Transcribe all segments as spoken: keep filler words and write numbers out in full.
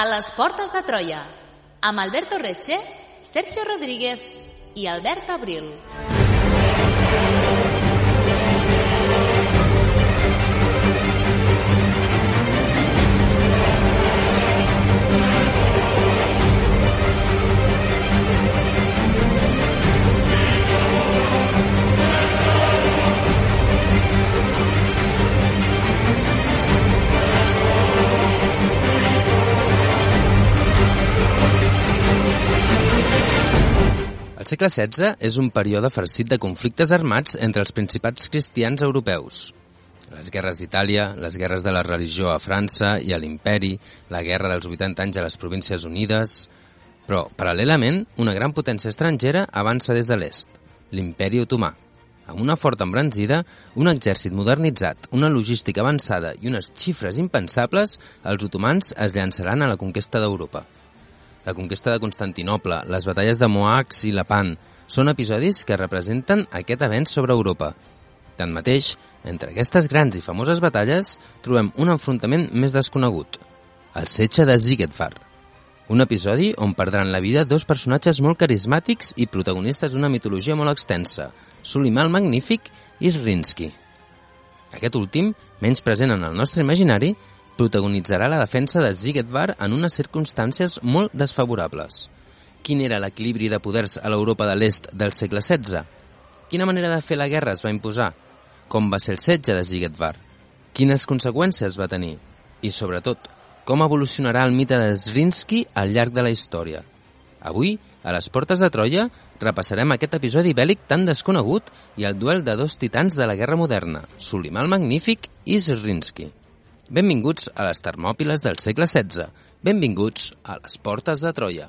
A les portes de Troia, amb Alberto Reche, Sergio Rodríguez i Albert Abril. El segle setze és un període farcit de conflictes armats entre els principats cristians europeus. Les guerres d'Itàlia, les guerres de la religió a França i a l'imperi, la guerra dels vuitanta anys a les Províncies Unides... Però, paral·lelament, una gran potència estrangera avança des de l'est, l'imperi otomà. Amb una forta embranzida, un exèrcit modernitzat, una logística avançada i unes xifres impensables, els otomans es llançaran a la conquesta d'Europa. La conquesta de Constantinoble, les batalles de Moax i Lepant, són episodis que representen aquest avenç sobre Europa. Tanmateix, entre aquestes grans i famoses batalles, trobem un enfrontament més desconegut, el setge de Siegfried, un episodi on perdran la vida dos personatges molt carismàtics i protagonistes d'una mitologia molt extensa, Suleiman el Magnífic i Zrinski. Aquest últim, menys present en el nostre imaginari, protagonitzarà la defensa de Siegfried en unes circumstàncies molt desfavorables. Quin era l'equilibri de poders a l'Europa de l'est del segle setze? Quina manera de fer la guerra es va imposar? Com va ser el setge de Siegfried? Quines conseqüències va tenir? I, sobretot, com evolucionarà el mite de Zrinski al llarg de la història? Avui, a les portes de Troia, repassarem aquest episodi bèl·lic tan desconegut i el duel de dos titans de la guerra moderna, Suleiman el Magnífic i Zrinski. Benvinguts a les Termòpiles del segle setze. Benvinguts a les portes de Troia.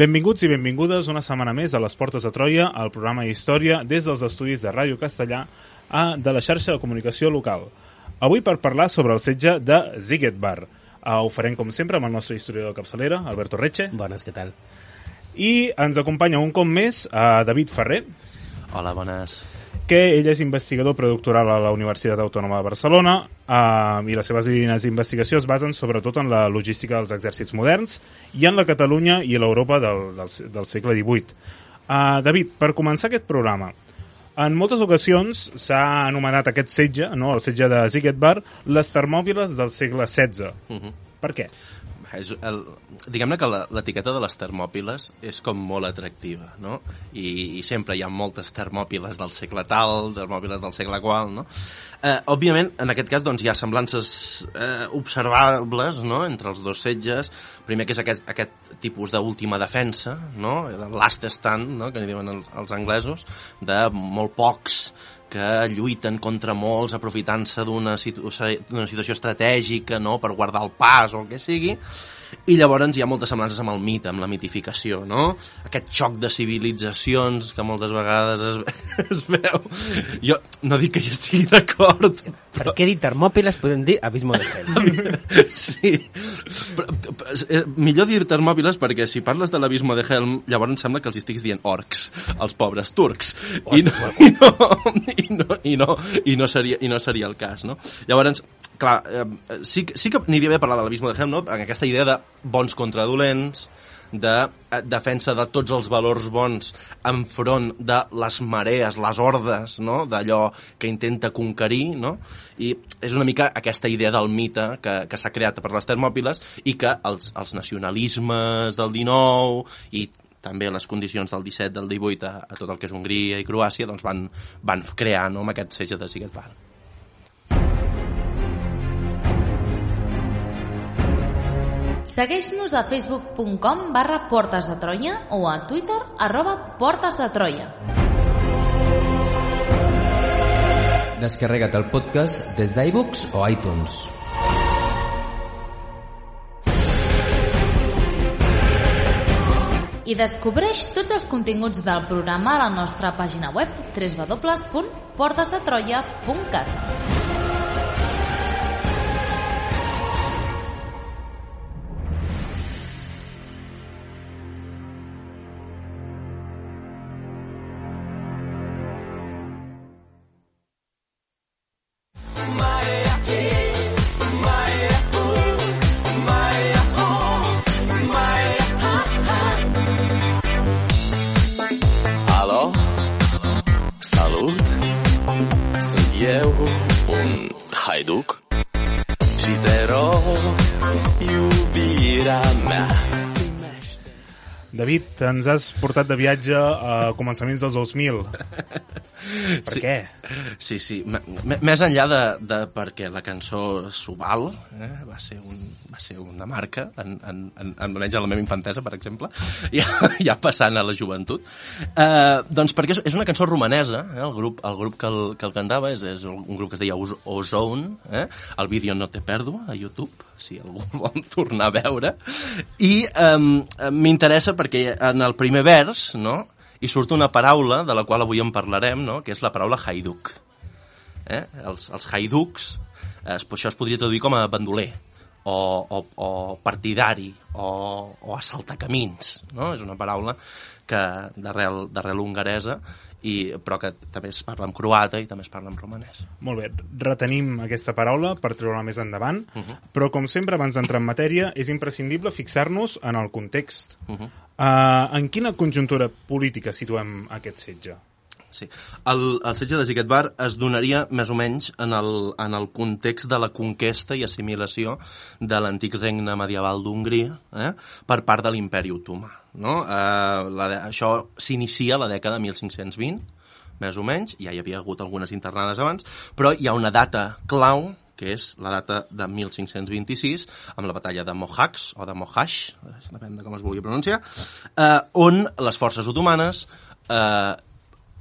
Benvinguts i benvingudes una setmana més a les portes de Troia, al programa Història des dels estudis de Ràdio Castellà de la xarxa de comunicació local. Avui per parlar sobre el setge de Siegfried. Uh, ho farem com sempre amb el nostre historiador de capçalera, Alberto Reche. Bones, què tal? I ens acompanya un cop més uh, David Ferrer. Hola, bones. Que ell és investigador predoctoral a la Universitat Autònoma de Barcelona uh, i les seves línies d'investigació es basen sobretot en la logística dels exèrcits moderns i en la Catalunya i l'Europa del, del, del segle divuit. Uh, David, per començar aquest programa, en moltes ocasions s'ha anomenat aquest setge, no, el setge de Siegfried, les Termòpiles del segle setze. Uh-huh. Per què? És el, diguem-ne que l'etiqueta de les Termòpiles és com molt atractiva, no? I, i sempre hi ha moltes Termòpiles del segle tal, Termòpiles del segle qual, no? Eh, òbviament, en aquest cas, doncs, hi ha semblances eh, observables, no?, entre els dos setges. Primer que és aquest, aquest tipus d'última defensa, no?, de last stand, no?, que n'hi diuen els, els anglesos, de molt pocs que lluiten contra molts aprofitant-se d'una situ d'una situació estratègica, no?, per guardar el pas o el que sigui. I llavors hi ha moltes semblances amb el mite, amb la mitificació, no? Aquest xoc de civilitzacions que moltes vegades es, es veu. Jo no dic que hi estigui d'acord. Per però... què dir Termòpiles podem dir Abismo de Hell? Sí. Però, però, millor dir Termòpiles perquè si parles de l'Abismo de Hell llavors em sembla que els estiguis dient orcs, els pobres turcs. I no, i no, i no, i no, i no, seria, i no seria el cas, no? Llavors, clar, eh, sí, sí que n'hi havia parlat de l'Abismo de Hell, no? En aquesta idea de bons contra dolents, de defensa de tots els valors bons enfront de les marees, les hordes, no?, d'allò que intenta conquerir, no? I és una mica aquesta idea del mite que, que s'ha creat per les Termòpiles i que els, els nacionalismes del dinou i també les condicions del disset, del divuit a, a tot el que és Hongria i Croàcia doncs van, van crear, no?, amb aquest setge de Siegfried. Segueix-nos a facebook punt com barra Portes de Troia o a Twitter arroba Portes de Troia. Descarrega't el podcast des d'iBooks o iTunes. I descobreix tots els continguts del programa a la nostra pàgina web w w w punt portes de troia punt cat. Haiduc și te rog, iubirea mea. David, ens has portat de viatge a començaments dels dos mil. Per sí, què? Sí, sí. M més enllà de, de perquè la cançó s'ho val, eh? va, ser un, va ser una marca, en, en, en, almenys a la meva infantesa, per exemple, ja, ja passant a la joventut. Eh, doncs perquè és, és una cançó romanesa, eh? el, grup, el grup que el, que el cantava és, és un grup que es deia Ozone, eh? El vídeo no té pèrdua a YouTube, si algú vol tornar a veure, i eh, m'interessa perquè en el primer vers, no?, hi surt una paraula de la qual avui en parlarem, no?, que és la paraula haiduc. Eh? Els, els haiducs, eh, això es podria traduir com a bandoler, o, o, o partidari, o, o assaltacamins, no? És una paraula que d'arrel hongaresa, i, però que també es parla en croata i també es parla en romanès. Molt bé, retenim aquesta paraula per treure-la més endavant, uh -huh. però com sempre, abans d'entrar en matèria, és imprescindible fixar-nos en el context. Uh -huh. uh, en quina conjuntura política situem aquest setge? Sí. El, el setge de Xiquet-Bar es donaria més o menys en el, en el context de la conquesta i assimilació de l'antic regne medieval d'Hongria, eh, per part de l'imperi otomà. No? Eh, la, això s'inicia a la dècada de mil cinc-cents vint, més o menys, ja hi havia hagut algunes internades abans, però hi ha una data clau, que és la data de mil cinc-cents vint-i-sis, amb la batalla de Mohacs, o de Mohacs, depèn de com es vulgui pronunciar, eh, on les forces otomanes eh,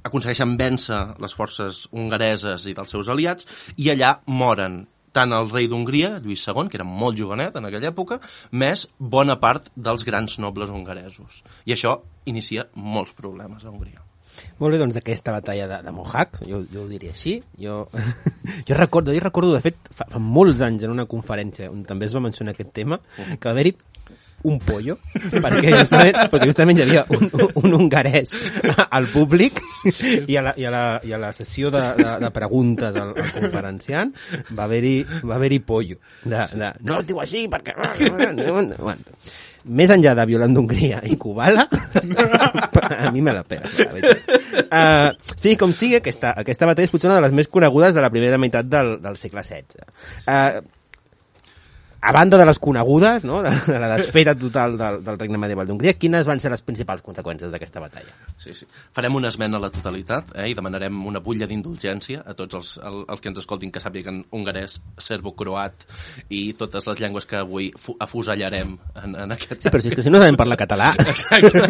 aconsegueixen vèncer les forces hongareses i dels seus aliats, i allà moren tant el rei d'Hongria, Lluís segon, que era molt jovenet en aquella època, més bona part dels grans nobles hongaresos. I això inicia molts problemes a Hongria. Molt bé, doncs aquesta batalla de, de Mohacs, jo, jo ho diria així, jo, jo, recordo, jo recordo, de fet, fa, fa molts anys en una conferència on també es va mencionar aquest tema, que va haver-hi un pollo, perquè justament, perquè justament hi havia un, un hongarès al públic i a la, i a la, i a la sessió de, de, de preguntes al, al conferenciant va haver-hi va haver-hi pollo. De, de, no es diu així perquè... Bueno, més enllà de Violant d'Hongria i Kubala, a mi me la pela. Uh, sí, com sigui, aquesta, aquesta batalla és potser una de les més conegudes de la primera meitat del, del segle setze. Uh, A banda de les conegudes, no?, de, de la desfeta total del, del regne medieval d'Hongria, quines van ser les principals conseqüències d'aquesta batalla? Sí, sí. Farem una esmena a la totalitat, eh, i demanarem una butlla d'indulgència a tots els, el, els que ens escoltin, que sàpiguen hongarès, serbo-croat i totes les llengües que avui afusellarem en, en aquest... Sí, però si és que si no sabem parlar català... Exacte.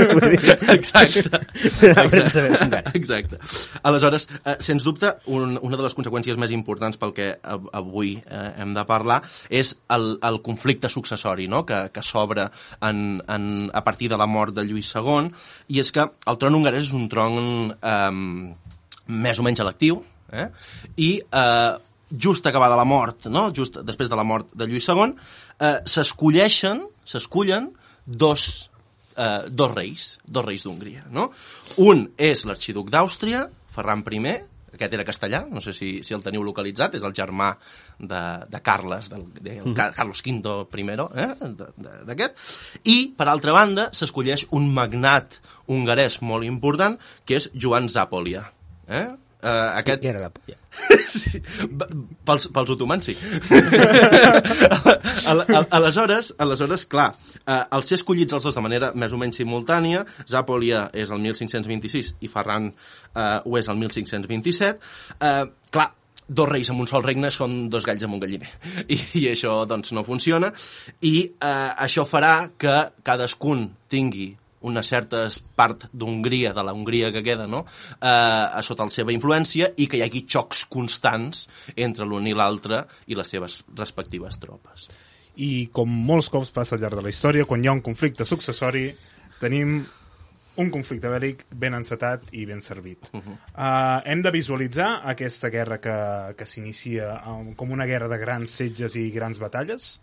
Exacte. Exacte. Exacte. Aleshores, eh, sens dubte, un, una de les conseqüències més importants pel que avui eh, hem de parlar és el el conflicte successori, no?, que, que s'obre en, en, a partir de la mort de Lluís segon, i és que el tron hongarès és un tron eh, més o menys electiu, eh? I eh, just acabada la mort, no?, just després de la mort de Lluís segon, eh, s'escolleixen, s'escullen dos, eh, dos reis, dos reis d'Hongria, no? Un és l'arxiduc d'Àustria, Ferran primer, aquest era castellà, no sé si, si el teniu localitzat, és el germà de, de Carles, del, de, el mm-hmm. Carlos quinto primero, eh, d'aquest, i, per altra banda, s'escolleix un magnat hongarès molt important, que és Joan Zápolya. Eh? Uh, aquest... Què era la polla? Sí, pels, pels otomans sí. aleshores, aleshores, clar, uh, al ser escollits els dos de manera més o menys simultània, Zápolya és el mil cinc-cents vint-i-sis i Ferran uh, ho és el mil cinc-cents vint-i-set, uh, clar, dos reis en un sol regne són dos galls amb un galliner. I, i això, doncs, no funciona. I uh, això farà que cadascun tingui una certa part d'Hongria, de la Hongria que queda, no?, eh, sota la seva influència, i que hi hagi xocs constants entre l'un i l'altre i les seves respectives tropes. I com molts cops passa al llarg de la història, quan hi ha un conflicte successori, tenim un conflicte bèl·lic ben encetat i ben servit. Uh -huh. uh, hem de visualitzar aquesta guerra que, que s'inicia um, com una guerra de grans setges i grans batalles?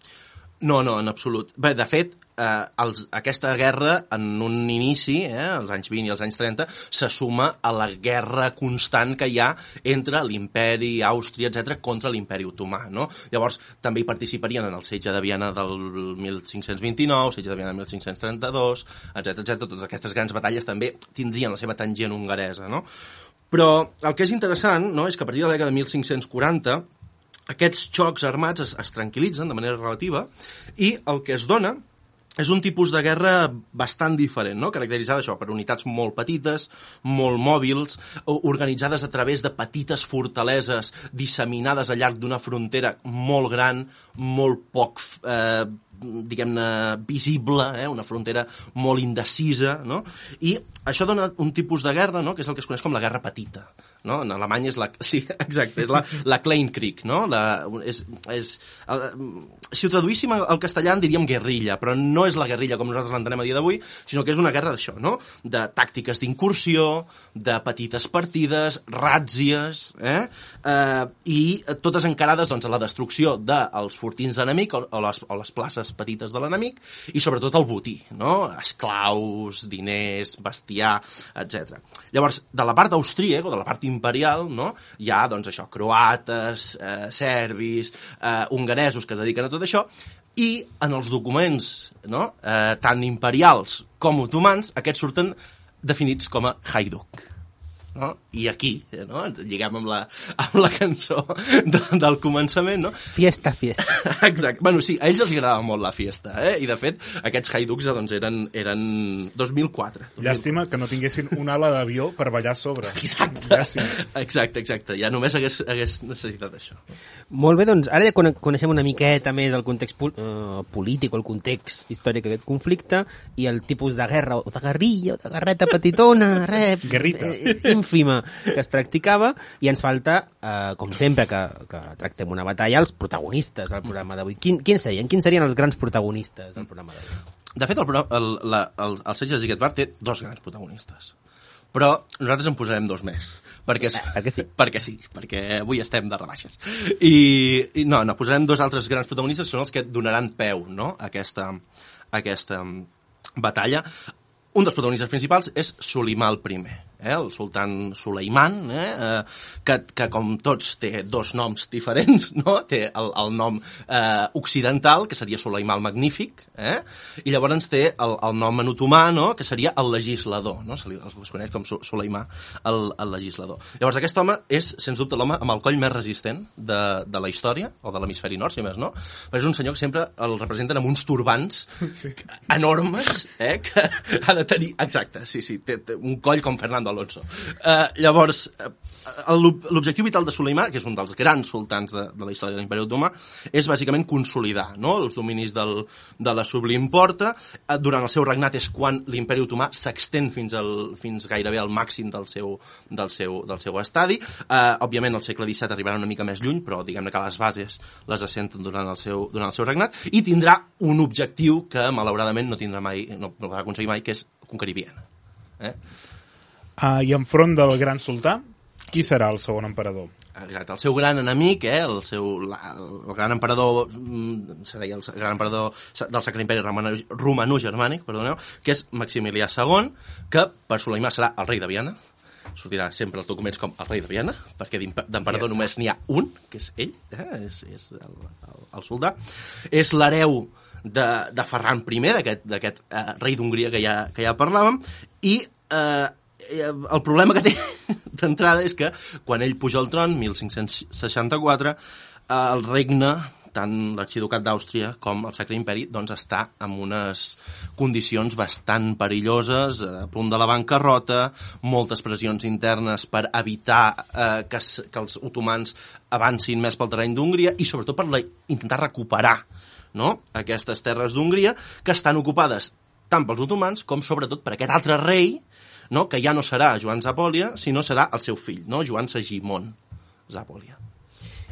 No, no, en absolut. Bé, de fet, eh, els, aquesta guerra, en un inici, eh, als anys vint i als anys trenta, se suma a la guerra constant que hi ha entre l'imperi, Àustria, etcètera, contra l'imperi otomà, no? Llavors, també hi participarien en el setge de Viena del mil cinc-cents vint-i-nou, setge de Viena del mil cinc-cents trenta-dos, etcètera, etcètera. Totes aquestes grans batalles també tindrien la seva tangent hongaresa, no? Però el que és interessant, no?, és que a partir de la dècada de mil cinc-cents quaranta aquests xocs armats es, es tranquil·litzen de manera relativa i el que es dona és un tipus de guerra bastant diferent, no? Caracteritzada això per unitats molt petites, molt mòbils, organitzades a través de petites fortaleses disseminades al llarg d'una frontera molt gran, molt poc eh, diguem-ne, visible, eh? Una frontera molt indecisa, no? I això dona un tipus de guerra, no?, que és el que es coneix com la guerra petita, no? En alemany és la... Sí, exacte, és la, la Kleinkrieg, no? La, és, és, el, si ho traduíssim al castellà en diríem guerrilla, però no és la guerrilla com nosaltres l'entenem a dia d'avui, sinó que és una guerra d'això, no? De tàctiques d'incursió, de petites partides, ràtzies, eh? eh i totes encarades, doncs, a la destrucció dels fortins d'enemic o, o, les, o les places petites de l'enemic i sobretot el botí, no? Esclaus, diners, bestiar, etcètera. Llavors, de la part austríaca o de la part imperial, no?, hi ha, doncs, això, croates, eh, serbis, eh, hongaresos que es dediquen a tot això, i en els documents, no?, eh, tant imperials com otomans, aquests surten definits com a hajduk. No? I aquí, no?, ens lliguem amb la, amb la cançó de, del començament, no? Fiesta, fiesta. Exacte. Bueno, sí, a ells els agradava molt la fiesta, eh? I, de fet, aquests haiducs, doncs, eren, eren dos mil quatre. Llàstima que no tinguessin una ala d'avió per ballar a sobre. Exacte. Llàstima. Exacte, exacte. Ja només hagués, hagués necessitat això. Molt bé, doncs, ara ja coneixem una miqueta més el context pol uh, polític o el context històric d'aquest conflicte i el tipus de guerra, o de guerrilla, o de guerreta petitona, rep, eh, ínfima, que es practicava, i ens falta, eh, com sempre que, que tractem una batalla, els protagonistes del programa d'avui. Quin, quins serien? Quins serien els grans protagonistes del programa d'avui? De fet, el, el, el, el, el setge de Ziegfeld té dos grans protagonistes. Però nosaltres en posarem dos més. Perquè, eh, perquè sí. Perquè sí, perquè avui estem de rebaixes. I, i no, no, posarem dos altres grans protagonistes, són els que donaran peu, no?, a aquesta, a aquesta batalla. Un dels protagonistes principals és Solimà el primer, eh, el sultan Suleiman, eh, eh, que, que com tots té dos noms diferents, no? Té el, el nom eh, occidental, que seria Suleimà el Magnífic, eh? I llavors té el, el nom en otomà, no?, que seria el legislador, no? Se li, es coneix com Suleimà el, el legislador. Llavors aquest home és, sens dubte, l'home amb el coll més resistent de, de la història, o de l'hemisferi nord, si més no, però és un senyor que sempre el representen amb uns turbants sí. enormes, eh, que ha de tenir... Exacte, sí, sí, té, té un coll com Fernando Alonso. Uh, llavors, uh, l'objectiu vital de Suleimà, que és un dels grans sultans de, de la història de l'Imperi Otomà, és bàsicament consolidar, no?, els dominis del, de la Sublim Porta. Uh, durant el seu regnat és quan l'Imperi Otomà s'extén fins, al, fins gairebé al màxim del seu, del seu, del seu estadi. Uh, òbviament, al segle disset arribarà una mica més lluny, però diguem-ne que les bases les assenten durant el seu, durant el seu regnat, i tindrà un objectiu que, malauradament, no tindrà mai, no, no va aconseguir mai, que és conquerir Viena. Eh? Uh, I enfront del gran sultà, qui serà el segon emperador? Exacte, el seu gran enemic, eh, el, seu, la, el gran emperador, seria el gran emperador del Sacre Imperi Romano-Germànic, perdoneu, que és Maximilià segon, que per Soleimà serà el rei de Viena. Sortirà sempre els documents com el rei de Viena, perquè d'emperador només n'hi ha un, que és ell, eh, és, és el, el, el soldà. És l'hereu de, de Ferran primer, d'aquest eh, rei d'Hongria que, ja, que ja parlàvem, i eh, el problema que té d'entrada és que quan ell puja al tron, mil cinc-cents seixanta-quatre, eh, el regne, tant l'arxiducat d'Àustria com el Sacre Imperi, doncs està en unes condicions bastant perilloses, a punt de la bancarrota, moltes pressions internes per evitar eh, que, que els otomans avancin més pel terreny d'Hongria i sobretot per la, intentar recuperar, no?, aquestes terres d'Hongria que estan ocupades tant pels otomans com sobretot per aquest altre rei, no?, que ja no serà Joan Zapòlia, sinó serà el seu fill, no?, Joan Segimon Zapòlia.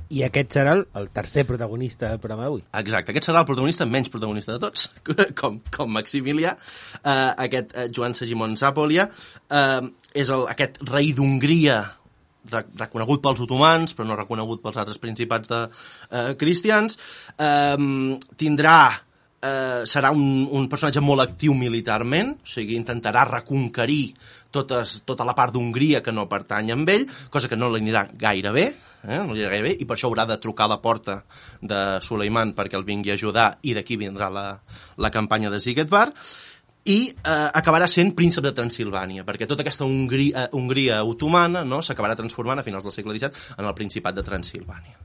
I aquest serà el, el tercer protagonista del programa d'avui. Exacte, aquest serà el protagonista menys protagonista de tots, com, com Maximilià. Uh, aquest uh, Joan Segimon Zápolya uh, és el, aquest rei d'Hongria reconegut pels otomans, però no reconegut pels altres principats de uh, cristians. Uh, tindrà Uh, serà un, un personatge molt actiu militarment, o sigui, intentarà reconquerir totes, tota la part d'Hongria que no pertany amb ell, cosa que no li anirà gaire bé, eh? no li anirà gaire bé, i per això haurà de trucar a la porta de Suleiman perquè el vingui a ajudar, i d'aquí vindrà la, la campanya de Zigetvar, i eh, acabarà sent príncep de Transilvània, perquè tota aquesta Hongria, Hongria otomana, no, s'acabarà transformant a finals del segle disset en el Principat de Transilvània.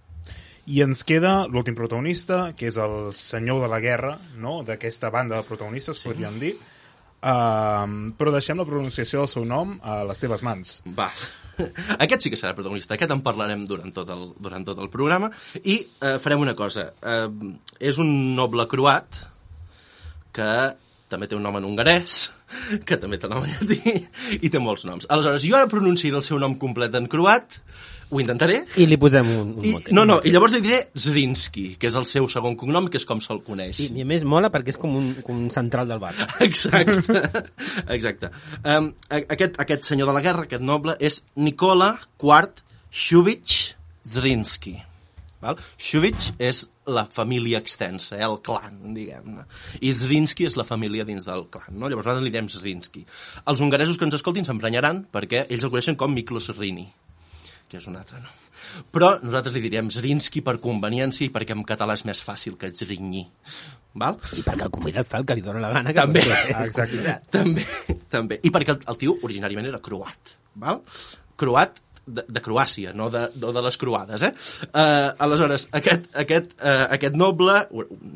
I ens queda l'últim protagonista, que és el senyor de la guerra, no?, d'aquesta banda de protagonistes, sí. podríem dir. Uh, però deixem la pronunciació del seu nom a les teves mans. Va, aquest sí que serà protagonista, aquest en parlarem durant tot el, durant tot el programa, i uh, farem una cosa. Uh, és un noble croat que també té un nom en hongarès, que també té un nom en llatí, i té molts noms. Aleshores, jo ara pronunciaré el seu nom complet en croat, ho intentaré. I li posem un, un I, motet. no, no, i llavors li diré Zrinski, que és el seu segon cognom, que és com se'l coneix. I, I a més mola perquè és com un, com un central del bar. Exacte, exacte. Um, aquest, aquest senyor de la guerra, aquest noble, és Nikola quart Shuvich Zrinski. Val? Shuvich és la família extensa, eh, el clan, diguem-ne. I Zrinski és la família dins del clan, no? Llavors nosaltres li diem Zrinski. Els hongaresos que ens escoltin s'emprenyaran perquè ells el coneixen com Miklos Rini, que és un altre nom. Però nosaltres li diríem Zrinski per conveniència i perquè en català és més fàcil que Zrinyi. Val? I perquè el convidat fa el que li dóna la gana. També, exacte. també, també. I perquè el, el tio originàriament era croat. Val? Croat de, de Croàcia, no de, de, de les croades, eh? Uh, aleshores, aquest, aquest, uh, aquest noble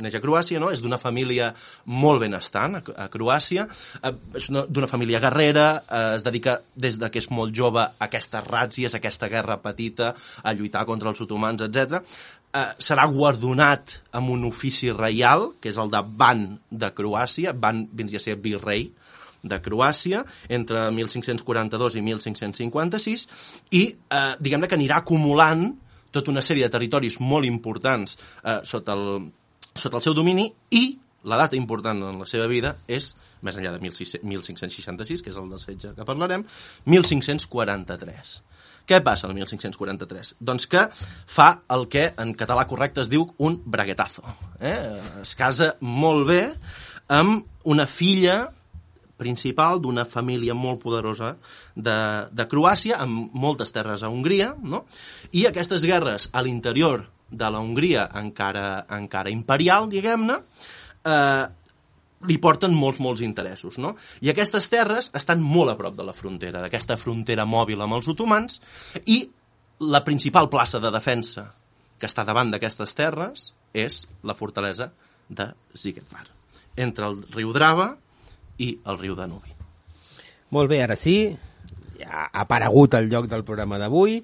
neix a Croàcia, no? És d'una família molt benestant a, a Croàcia, uh, és d'una família guerrera, uh, es dedica des de que és molt jove a aquestes ràtzies, a aquesta guerra petita, a lluitar contra els otomans, etcètera. Uh, serà guardonat amb un ofici reial, que és el de Ban de Croàcia, Ban vindria a ser virrei de Croàcia, entre mil cinc-cents quaranta-dos i mil cinc-cents cinquanta-sis, i eh, diguem-ne que anirà acumulant tota una sèrie de territoris molt importants eh, sota, el, sota el seu domini, i la data important en la seva vida és, més enllà de mil cinc-cents seixanta-sis, que és el del setge que parlarem, mil cinc-cents quaranta-tres. Què passa el mil cinc-cents quaranta-tres? Doncs que fa el que en català correcte es diu un braguetazo. Eh? Es casa molt bé amb una filla principal d'una família molt poderosa de, de Croàcia, amb moltes terres a Hongria, no? I aquestes guerres a l'interior de la Hongria encara, encara imperial, diguem-ne, eh, li porten molts, molts interessos, no? I aquestes terres estan molt a prop de la frontera, d'aquesta frontera mòbil amb els otomans, i la principal plaça de defensa que està davant d'aquestes terres és la fortalesa de Zigetvar, entre el riu Drava i el riu Danubi. Molt bé, ara sí, ja ha aparegut el lloc del programa d'avui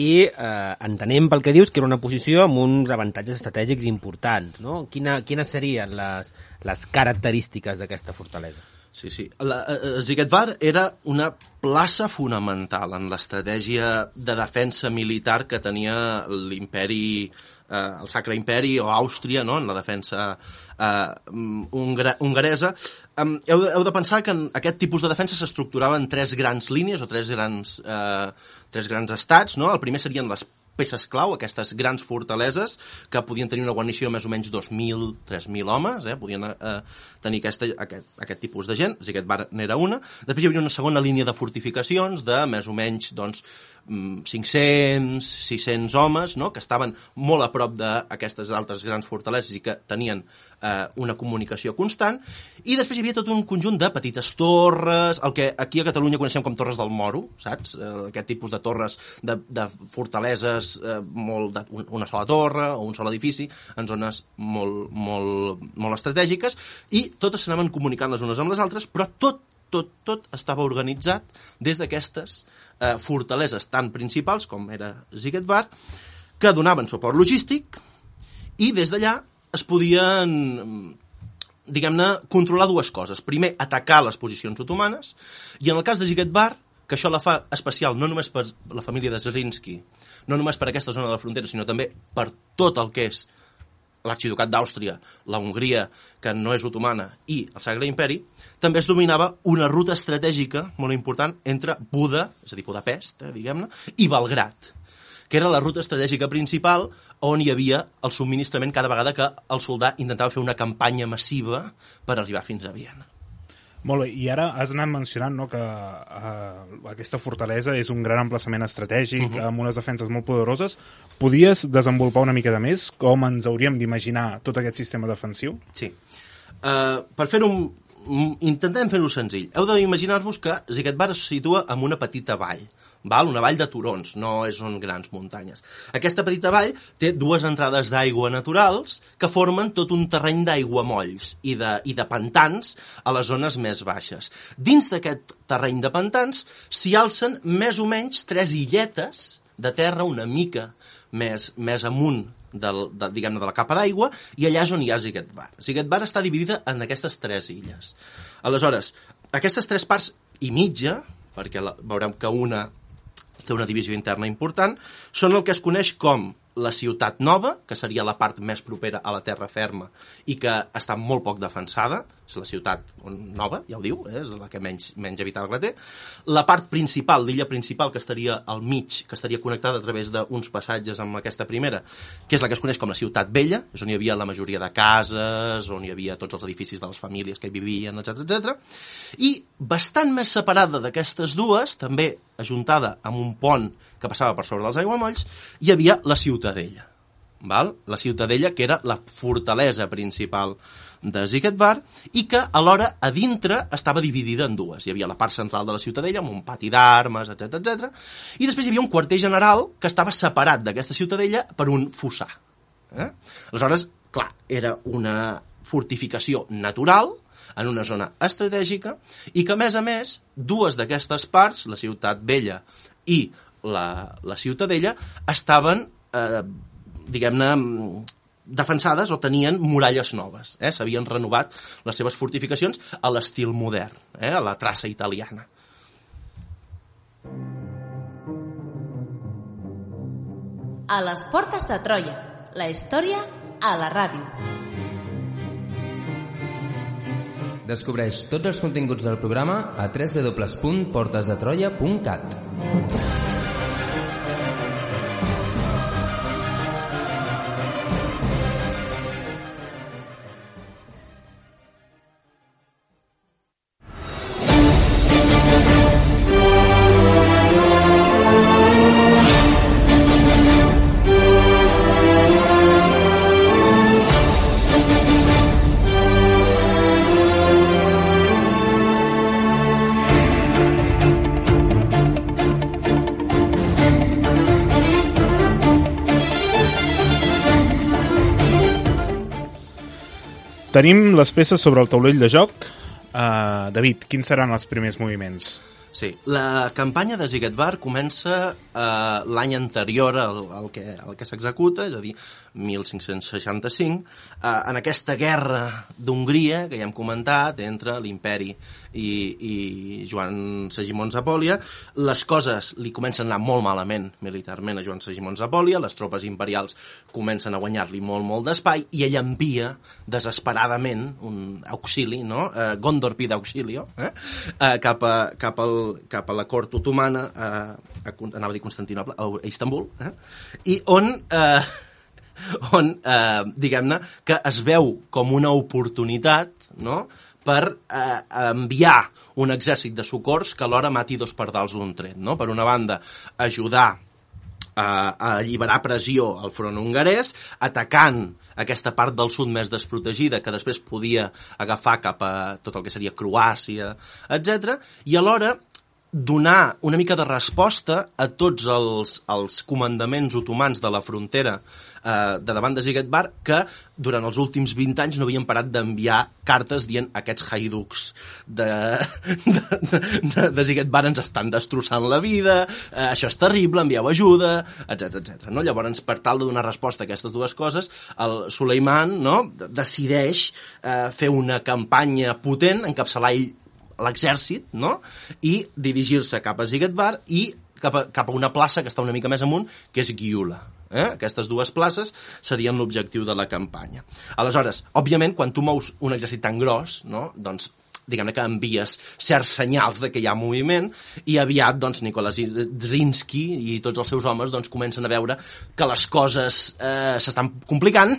i eh, entenem pel que dius que era una posició amb uns avantatges estratègics importants, no? Quina, quines serien les, les característiques d'aquesta fortalesa? Sí, sí. La, uh, Zigetvar era una plaça fonamental en l'estratègia de defensa militar que tenia l'imperi, uh, el Sacre Imperi o Àustria, no?, en la defensa uh, hongaresa. Um, heu, de, heu de pensar que en aquest tipus de defensa s'estructurava en tres grans línies o tres grans, uh, tres grans estats, no? El primer serien les peces clau, aquestes grans fortaleses que podien tenir una guarnició de més o menys dos mil, tres mil homes, eh? Podien eh, tenir aquesta, aquest, aquest tipus de gent, Zigetvar n'era una. Després hi havia una segona línia de fortificacions de més o menys doncs, cinc-cents, sis-cents homes, no?, que estaven molt a prop d'aquestes altres grans fortaleses i que tenien eh, una comunicació constant. I després hi havia tot un conjunt de petites torres, el que aquí a Catalunya coneixem com torres del Moro, saps? Eh, aquest tipus de torres de, de fortaleses, eh, molt de, una sola torre o un sol edifici, en zones molt, molt, molt estratègiques, i totes s'anaven comunicant les unes amb les altres, però tot Tot, tot estava organitzat des d'aquestes eh, fortaleses tan principals com era Zigetvar, que donaven suport logístic, i des d'allà es podien, diguem-ne, controlar dues coses. Primer, atacar les posicions otomanes, i en el cas de Zigetvar, que això la fa especial no només per la família de Zrinski, no només per aquesta zona de la frontera, sinó també per tot el que és l'arxiducat d'Àustria, la Hongria, que no és otomana, i el Sacre Imperi, també es dominava una ruta estratègica molt important entre Buda, és a dir, Budapest, eh, diguem-ne, i Belgrad, que era la ruta estratègica principal on hi havia el subministrament cada vegada que el soldat intentava fer una campanya massiva per arribar fins a Viena. Molt bé, i ara has anat mencionant, no, que uh, aquesta fortalesa és un gran emplaçament estratègic, uh-huh. amb unes defenses molt poderoses. Podies desenvolupar una mica de més com ens hauríem d'imaginar tot aquest sistema defensiu? Sí. Uh, per fer-ho, intentem fer-ho senzill. Heu d'imaginar-vos que Zigetbar es situa en una petita vall, val? Una vall de turons, no són grans muntanyes. Aquesta petita vall té dues entrades d'aigua naturals que formen tot un terreny d'aiguamolls i de, i de pantans a les zones més baixes. Dins d'aquest terreny de pantans s'hi alcen més o menys tres illetes de terra una mica més, més amunt del, de, diguem-ne, de la capa d'aigua, i allà és on hi ha Zigetbar. Zigetbar està dividida en aquestes tres illes. Aleshores, aquestes tres parts i mitja, perquè la, veurem que una té una divisió interna important, són el que es coneix com la ciutat nova, que seria la part més propera a la terra ferma i que està molt poc defensada, és la ciutat nova, ja ho diu, eh? És la que menys, menys habitable té. La part principal, l'illa principal, que estaria al mig, que estaria connectada a través d'uns passatges amb aquesta primera, que és la que es coneix com la ciutat vella, és on hi havia la majoria de cases, on hi havia tots els edificis de les famílies que hi vivien, etcètera, etcètera. I bastant més separada d'aquestes dues, també ajuntada amb un pont que passava per sobre dels aiguamolls, hi havia la Ciutadella. Val? La Ciutadella, que era la fortalesa principal de Zigetbar, i que alhora a dintre estava dividida en dues. Hi havia la part central de la Ciutadella, amb un pati d'armes, etcètera, etcètera, i després hi havia un quarter general que estava separat d'aquesta Ciutadella per un fossar. Eh? Aleshores, clar, era una fortificació natural en una zona estratègica i que, a més a més, dues d'aquestes parts, la Ciutat Vella i la, la Ciutadella, estaven, eh, diguem-ne, defensades o tenien muralles noves. Eh? S'havien renovat les seves fortificacions a l'estil modern, eh? A la traça italiana. A les portes de Troia, la història a la ràdio. Descobreix tots els continguts del programa a w w w punt portes de troia punt cat. Tenim les peces sobre el taulell de joc. Uh, David, quins seran els primers moviments? Sí, la campanya de Zigetbar comença eh, l'any anterior al, al que, al que s'executa, és a dir, mil cinc-cents seixanta-cinc, eh, en aquesta guerra d'Hongria, que ja hem comentat, entre l'imperi i, i Joan Segimon Zapòlia. Les coses li comencen a anar molt malament militarment a Joan Segimon Zapòlia, les tropes imperials comencen a guanyar-li molt, molt d'espai, i ell envia desesperadament un auxili, no? Eh, Gondor pide auxilio, eh? Eh, cap, a, cap al cap a la cort otomana, eh, a, anava a dir Constantinoble, a Istanbul, eh? I on, eh, on eh, diguem-ne, que es veu com una oportunitat, no?, per eh, enviar un exèrcit de socors que alhora mati dos pardals d'un tret, no? Per una banda, ajudar a alliberar pressió al front hongarès, atacant aquesta part del sud més desprotegida que després podia agafar cap a tot el que seria Croàcia, etcètera, i alhora donar una mica de resposta a tots els, els comandaments otomans de la frontera eh, de davant de Zigetbar, que durant els últims vint anys no havien parat d'enviar cartes dient aquests haiducs de, de, de, de Zigetbar ens estan destrossant la vida, eh, això és terrible, envieu ajuda, etcètera, etcètera. No? Llavors, per tal de donar resposta a aquestes dues coses, el Suleiman, no?, decideix eh, fer una campanya potent, encapçalar ell l'exèrcit, no?, i dirigir-se cap a Zigetbar i cap a, cap a una plaça que està una mica més amunt, que és Gyula. Eh? Aquestes dues places serien l'objectiu de la campanya. Aleshores, òbviament, quan tu mous un exèrcit tan gros, no? Doncs diguem-ne que envies certs senyals de que hi ha moviment i aviat doncs, Nikolai Zrinski i tots els seus homes doncs, comencen a veure que les coses eh, s'estan complicant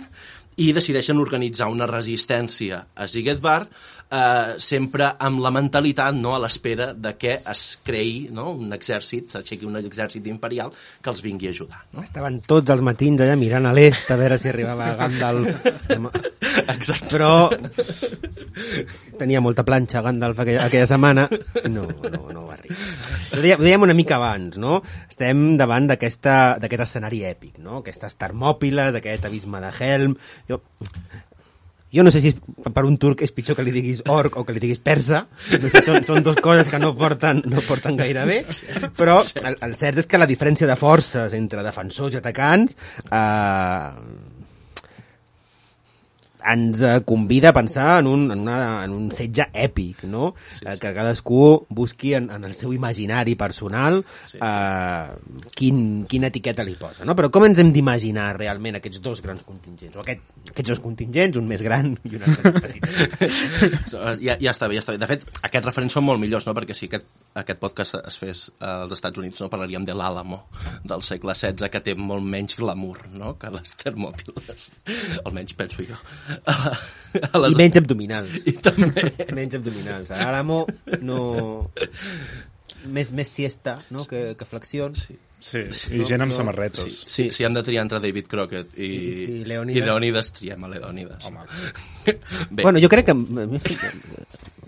i decideixen organitzar una resistència a Siegfried, eh, sempre amb la mentalitat, no?, a l'espera de que es creï, no?, un exèrcit, s'aixequi un exèrcit imperial que els vingui a ajudar. No? Estaven tots els matins allà mirant a l'est a veure si arribava Gandalf. Exacte. Però tenia molta planxa Gandalf aquella, aquella setmana. No, no, no va arribar. Ho dèiem, ho dèiem una mica abans, no? Estem davant d'aquest escenari èpic, no? Aquestes Termòpiles, aquest abisme de Helm. Jo, jo no sé si per un turc és pitjor que li diguis orc o que li diguis persa. No sé, són, són dues coses que no porten, no porten gaire bé. Però el, el cert és que la diferència de forces entre defensors i atacants eh, ens convida a pensar en un, en una, en un setge èpic, no? Sí, sí. Que cadascú busqui en, en el seu imaginari personal sí, sí. Eh, quin, quina etiqueta li posa, no? Però com ens hem d'imaginar realment aquests dos grans contingents? O aquest, aquests dos contingents, un més gran i un altre més petit. ja, ja està bé, ja està bé. De fet, aquests referents són molt millors, no? Perquè si aquest, aquest podcast es fes als Estats Units, no? Parlaríem de l'Àlamo del segle setze, que té molt menys glamour, no? Que les Termòpiles. Almenys penso jo. A, a les... I menys abdominals. I també. Menys abdominals. A l'Àlamo no... Més, més siesta, no?, que, que flexions. Sí. Sí, i gent amb samarretes. Sí, sí, si hem de triar entre David Crockett i, I, i Leònides, i Leònides triem a Leònides. Bé. Bueno, jo crec que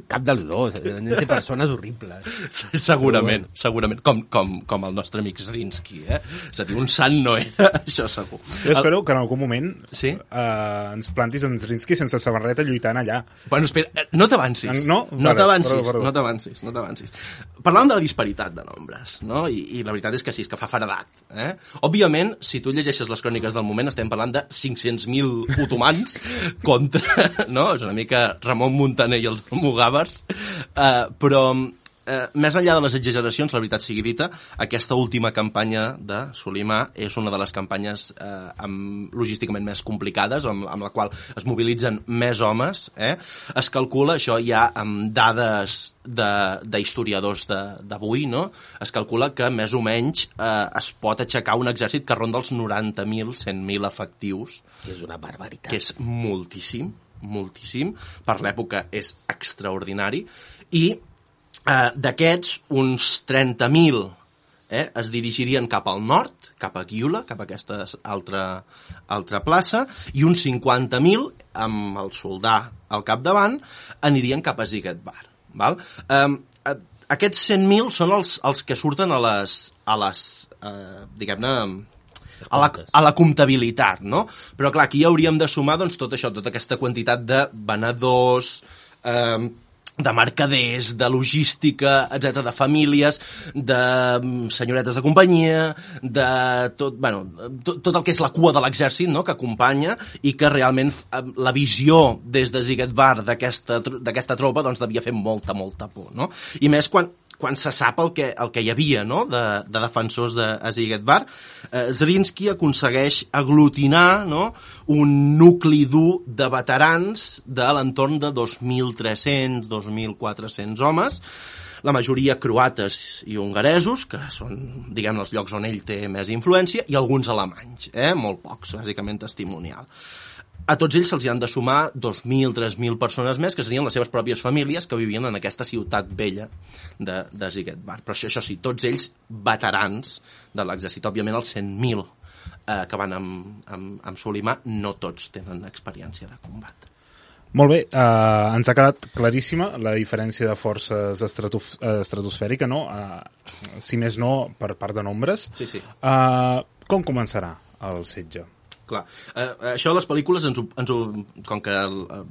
cap dels dos, han de ser persones horribles. Segurament, bueno. segurament, com, com, com el nostre amic Zrinski, eh? És a dir, un sant no era, això segur. Jo espero que en algun moment sí? eh, ens plantis en Zrinski sense samarreta lluitant allà. Bueno, espera, no t'avancis. No? No t'avancis, no t'avancis, no t'avancis. Parlàvem de la disparitat de nombres, no? I, i la veritat és que sí, és que fa faredat. Eh? Òbviament, si tu llegeixes les cròniques del moment, estem parlant de cinc-cents mil otomans contra, no? És una mica Ramon Muntaner i els almogàvers, eh, però eh, més enllà de les exageracions, la veritat sigui dita, aquesta última campanya de Solimà és una de les campanyes eh, amb, logísticament més complicades, amb, amb la qual es mobilitzen més homes. Eh? Es calcula, això ja amb dades d'historiadors d'avui, no? Es calcula que més o menys eh, es pot aixecar un exèrcit que ronda els noranta mil, cent mil efectius. Que és una barbaritat. Que és moltíssim, moltíssim. Per l'època és extraordinari. I eh, d'aquests, uns trenta mil eh, es dirigirien cap al nord, cap a Gyula, cap a aquesta altra, altra plaça, i uns cinquanta mil, amb el soldà al capdavant, anirien cap a Siegfried. Val? Um, aquests cent mil són els, els que surten a les, a les uh, diguem-ne, a la, a la comptabilitat, no? Però clar, aquí hauríem de sumar doncs, tot això, tota aquesta quantitat de venedors, um, de mercaders, de logística, etcètera, de famílies, de senyoretes de companyia, de tot, bueno, tot, tot el que és la cua de l'exèrcit, no?, que acompanya i que realment la visió des de Siegfried d'aquesta tropa doncs, devia fer molta, molta por, no? I més quan quan se sap el que, el que hi havia, no?, de, de defensors de Siegfried, eh, Zrinski aconsegueix aglutinar, no?, un nucli dur de veterans de l'entorn de dos mil tres-cents, dos mil quatre-cents homes, la majoria croates i hongaresos, que són, diguem, els llocs on ell té més influència, i alguns alemanys, eh?, molt pocs, bàsicament testimonial. A tots ells se'ls han de sumar dos mil, tres mil persones més, que serien les seves pròpies famílies que vivien en aquesta ciutat vella de, de Siegfried. Però això, això sí, tots ells veterans de l'exèrcit. Òbviament els cent mil eh, que van amb, amb, amb Solimà no tots tenen experiència de combat. Molt bé, eh, ens ha quedat claríssima la diferència de forces estratof estratosfèrica, no? Eh, si més no, per part de nombres. Sí, sí. Eh, com començarà el setge? Clar. Uh, això les pel·lícules, ens ho, ens ho, com que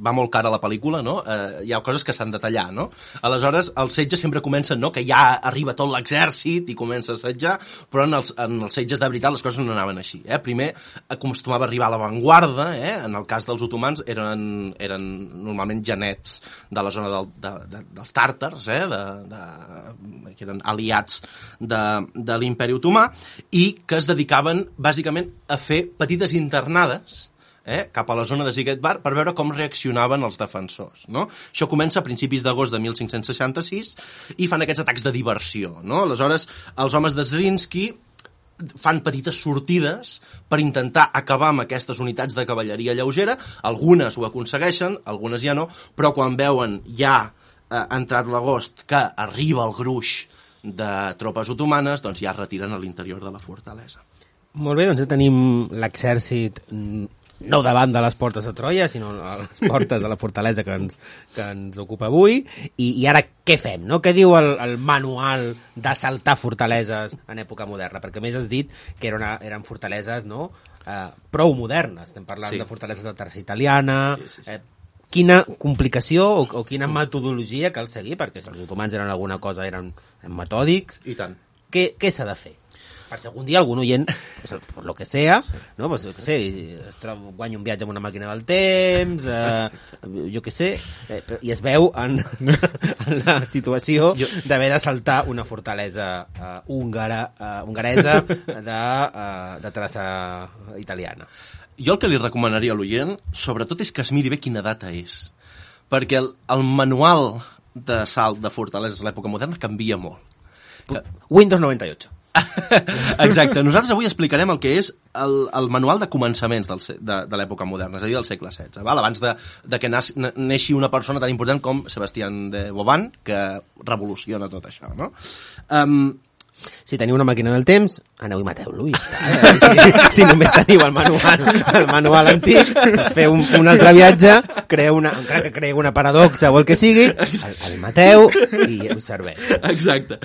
va molt cara la pel·lícula, no? uh, hi ha coses que s'han de tallar, no? Aleshores, el setge sempre comença, no?, que ja arriba tot l'exèrcit i comença a assetjar, però en els, en els setges de veritat les coses no anaven així. Eh? Primer acostumava a arribar a l'avantguarda, eh? En el cas dels otomans eren, eren normalment genets de la zona del, de, de, dels tàrtars, eh? de, de, que eren aliats de, de l'imperi otomà, i que es dedicaven bàsicament a fer petites internades eh, cap a la zona de Ziget Bar per veure com reaccionaven els defensors. No? Això comença a principis d'agost de mil cinc-cents seixanta-sis i fan aquests atacs de diversió. No? Aleshores, els homes de Zrinski fan petites sortides per intentar acabar amb aquestes unitats de cavalleria lleugera. Algunes ho aconsegueixen, algunes ja no, però quan veuen ja eh, entrat l'agost que arriba el gruix de tropes otomanes, doncs ja es retiren a l'interior de la fortalesa. Molt bé, doncs ja tenim l'exèrcit no davant de les portes de Troia, sinó a les portes de la fortalesa que ens, que ens ocupa avui. I, i ara què fem? No? Què diu el, el manual d'assaltar fortaleses en època moderna? Perquè més has dit que era una, eren fortaleses no? eh, prou modernes. Estem parlant sí. de fortaleses de terça italiana... Sí, sí, sí. Eh, quina complicació o, o quina metodologia cal seguir? Perquè si els otomans eren alguna cosa, eren, eren metòdics. I tant. Què, què s'ha de fer? Per si algun dia algun oient, pues, por lo que sea, no? Pues, que sé, es troba, guanya un viatge amb una màquina del temps, eh, jo què sé, eh, i es veu en, en la situació d'haver d'assaltar una fortalesa eh, húngara, eh, hongaresa de, eh, de traça italiana. Jo el que li recomanaria a l'oient, sobretot, és que es miri bé quina data és. Perquè el, el manual d'assalt de fortaleses a l'època moderna canvia molt. Que... Windows noventa y ocho. Exacte. Nosaltres avui explicarem el que és el, el manual de començaments del, de, de l'època moderna, és a dir, del segle setze, val? Abans de, de que nas, neixi una persona tan important com Sebastián de Vauban, que revoluciona tot això, no? Um, si teniu una màquina del temps, aneu i mateu-lo i ja està. Eh? Si, si només teniu el manual, el manual antic, doncs feu un, un altre viatge, creeu una, encara que creeu una paradoxa o el que sigui, el, el mateu i us serveix. Exacte.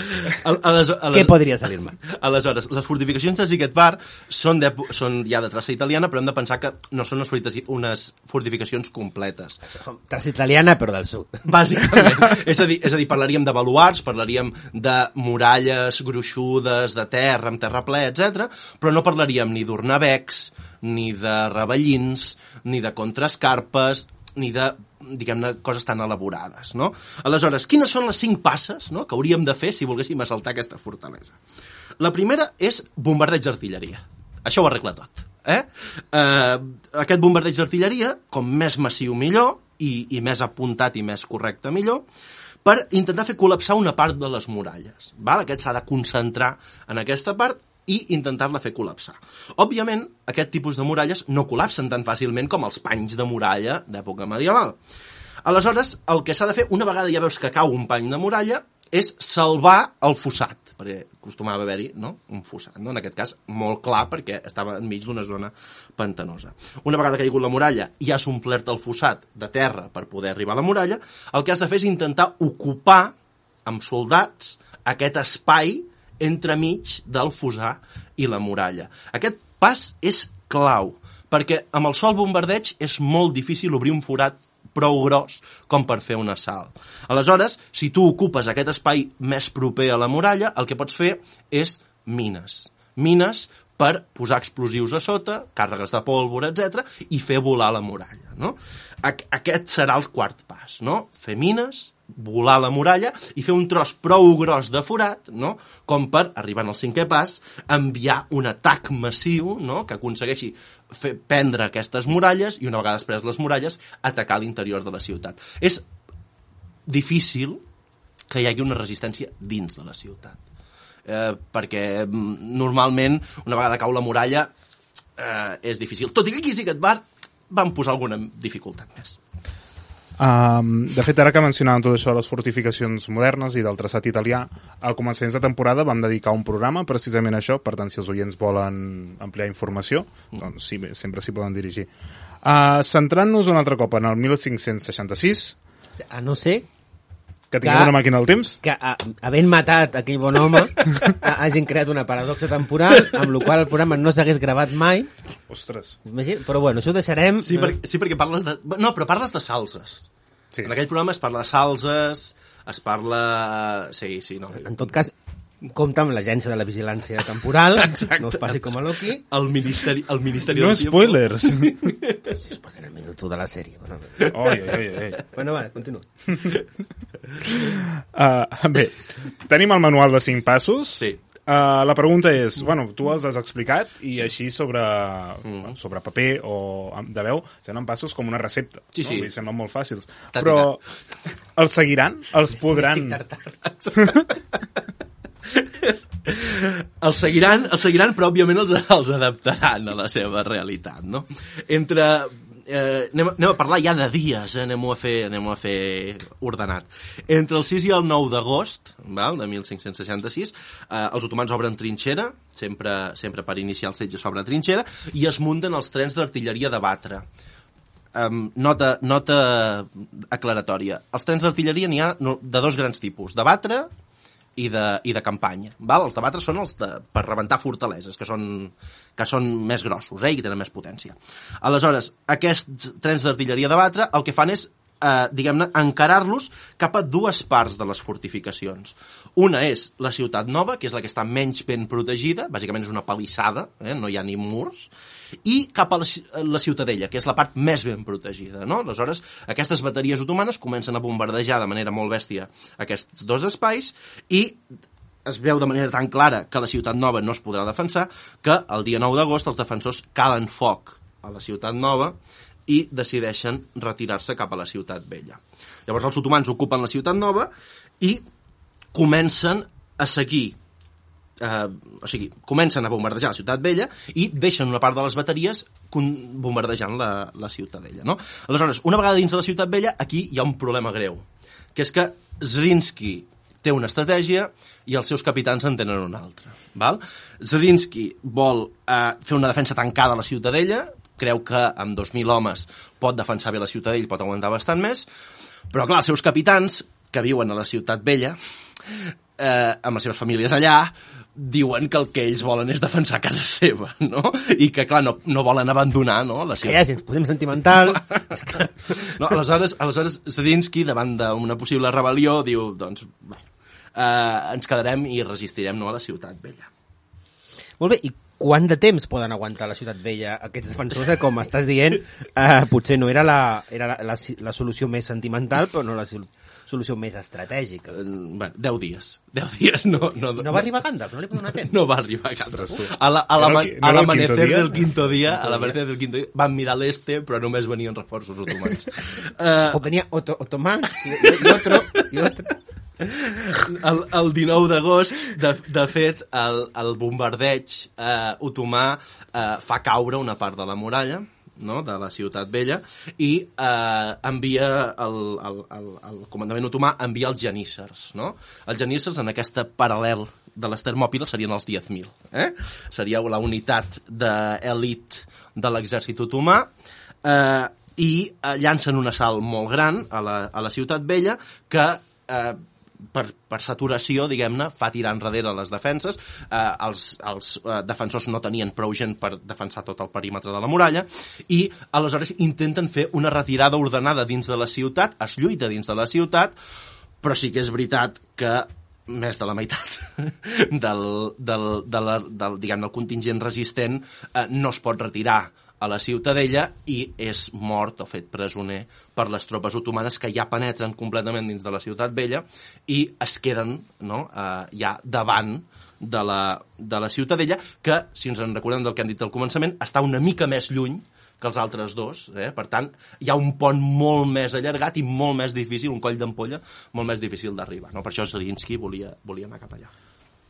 Al, ales, ales, Què podria salir-me? Aleshores, les fortificacions de Ziget Bar són, són ja de traça italiana, però hem de pensar que no són unes, unes fortificacions completes. Traça italiana, però del sud. Bàsicament. és, a dir, és a dir, parlaríem de baluards, parlaríem de muralles gruixudes, de terra, amb terra ple, etcètera, però no parlaríem ni d'ornavecs, ni de ravellins, ni de contraescarpes, ni de, diguem-ne, coses tan elaborades, no? Aleshores, quines són les cinc passes, no?, que hauríem de fer si volguéssim assaltar aquesta fortalesa? La primera és bombardeig d'artilleria. Això ho arregla tot. Eh? Eh, aquest bombardeig d'artilleria, com més massiu millor, i, i més apuntat i més correcte millor, per intentar fer col·lapsar una part de les muralles. Val? Aquest s'ha de concentrar en aquesta part i intentar-la fer col·lapsar. Òbviament, aquest tipus de muralles no col·lapsen tan fàcilment com els panys de muralla d'època medieval. Aleshores, el que s'ha de fer, una vegada ja veus que cau un pany de muralla, és salvar el fossat, perquè acostumava a haver-hi no? un fossat, no? En aquest cas molt clar perquè estava enmig d'una zona pantanosa. Una vegada que ha caigut la muralla i has omplert el fossat de terra per poder arribar a la muralla, el que has de fer és intentar ocupar amb soldats aquest espai entremig del fossar i la muralla. Aquest pas és clau, perquè amb el sol bombardeig és molt difícil obrir un forat prou gros com per fer un assalt. Aleshores, si tu ocupes aquest espai més proper a la muralla, el que pots fer és mines. Mines per posar explosius a sota, càrregues de pólvora, etcètera, i fer volar la muralla. No? Aquest serà el quart pas. No? Fer mines, volar la muralla i fer un tros prou gros de forat, no? Com per, arribant al cinquè pas, enviar un atac massiu, no? Que aconsegueixi fer prendre aquestes muralles i una vegada després les muralles atacar l'interior de la ciutat. És difícil que hi hagi una resistència dins de la ciutat. Eh, perquè normalment una vegada cau la muralla eh, és difícil. Tot i que aquí a Ziget Bar van posar alguna dificultat més. Um, de fet, ara que mencionàvem tot això de les fortificacions modernes i del traçat italià, al començaments de temporada vam dedicar un programa precisament a això, per tant, si els oients volen ampliar informació, doncs sí, sempre s'hi poden dirigir. Uh, centrant-nos un altre cop en el mil cinc-cents seixanta-sis... A no ser Que tinguem una màquina del temps? Que, a, havent matat aquell bon home, hagin creat una paradoxa temporal, amb la qual el programa no s'hagués gravat mai. Ostres. Imagina, però bueno, això ho deixarem... Sí, per, sí, perquè parles de... No, però parles de salses. Sí. En aquell programa es parla de salses, es parla... Sí, sí, no. En tot cas, compta amb l'agència de la vigilància temporal, exacte. No us passi com a Loki. El Ministeri, el ministeri no del Tiempo. spoilers. Si us passa en el minut de la sèrie. Bueno, oi, oi, oi. bueno va, continua. Uh, bé, tenim el manual de cinc passos. Sí. Uh, la pregunta és, bueno, tu els has explicat i sí. així sobre, mm. sobre paper o de veu semblen passos com una recepta. Sí, sí. No? Semblen molt fàcils. T'ha Però els seguiran? Els podran... Els seguiran, els seguiran, però òbviament els, els adaptaran a la seva realitat, no? Entre... Eh, anem, anem a parlar ja de dies, eh? anem-ho a fer, anem a fer ordenat. Entre el sis i el nou d'agost, val, de mil cinc-cents seixanta-sis, eh, els otomans obren trinxera, sempre, sempre per iniciar el setge s'obre trinxera, i es munten els trens d'artilleria de batre. Um, nota, nota aclaratòria. Els trens d'artilleria n'hi ha de dos grans tipus, de batre i de, i de campanya. Val? Els de batre són els de, per rebentar fortaleses, que són, que són més grossos, eh, i que tenen més potència. Aleshores, aquests trens d'artilleria de batre el que fan és, eh, diguem-ne, encarar-los cap a dues parts de les fortificacions. Una és la Ciutat Nova, que és la que està menys ben protegida, bàsicament és una palissada, eh, no hi ha ni murs, i cap a la, la Ciutadella, que és la part més ben protegida, no? Aleshores, aquestes bateries otomanes comencen a bombardejar de manera molt bèstia aquests dos espais i es veu de manera tan clara que la Ciutat Nova no es podrà defensar que el dia nou d'agost els defensors calen foc a la Ciutat Nova i decideixen retirar-se cap a la Ciutat Vella. Llavors els otomans ocupen la Ciutat Nova i comencen a seguir eh, o sigui, comencen a bombardejar la Ciutat Vella i deixen una part de les bateries bombardejant la, la Ciutadella, no? Aleshores, una vegada dins de la Ciutat Vella, aquí hi ha un problema greu, que és que Zrinski té una estratègia i els seus capitans en tenen una altra. Val? Zrinski vol eh, fer una defensa tancada a la Ciutadella, creu que amb dos mil homes pot defensar bé la Ciutadella, pot aguantar bastant més, però clar, els seus capitans, que viuen a la Ciutat Vella, eh, amb les seves famílies allà, diuen que el que ells volen és defensar casa seva, no? I que, clar, no, no volen abandonar, no? La ciutat. Que ja, si ens posem sentimental... que... no, aleshores, aleshores Zrinski, davant d'una possible rebel·lió, diu, doncs, bé, eh, ens quedarem i resistirem, no, a la Ciutat Vella. Molt bé, i quant de temps poden aguantar la Ciutat Vella aquests defensors? Eh, com estàs dient, eh, potser no era, la, era la, la, la solució més sentimental, però no la solució més estratègica. Uh, bueno, deu dies. Deu dies, no... No, no va arribar Gandalf? No li va donar temps? No va arribar Gandalf. A l'amanecer del quinto dia, a l'amanecer del quinto dia, van mirar l'este, però només venien reforços otomans. Uh, o venia Otto, otomans i, i otro, i otro. El, el dinou d'agost, de, de fet, el, el bombardeig eh, otomà eh, fa caure una part de la muralla, no?, de la Ciutat Vella, i eh, envia el, el, el, el comandament otomà envia els geníssers, no? Els geníssers, en aquesta paral·lel de les Termòpiles, serien els diez mil, eh? Seria la unitat d'elit de l'exèrcit otomà, eh, i eh, llancen un assalt molt gran a la, a la Ciutat Vella que eh, per, per saturació, diguem-ne, fa tirar enrere les defenses. Eh, els els eh, defensors no tenien prou gent per defensar tot el perímetre de la muralla i aleshores intenten fer una retirada ordenada dins de la ciutat, es lluita dins de la ciutat, però sí que és veritat que més de la meitat del, del, de la, del, diguem, del contingent resistent eh, no es pot retirar a la Ciutadella i és mort o fet presoner per les tropes otomanes que ja penetren completament dins de la Ciutat Vella i es queden, no, eh, ja davant de la, de la Ciutadella, que, si ens en recordem del que han dit al començament, està una mica més lluny que els altres dos, eh? Per tant, hi ha un pont molt més allargat i molt més difícil, un coll d'ampolla molt més difícil d'arribar, no? Per això Zrinski volia, volia anar cap allà.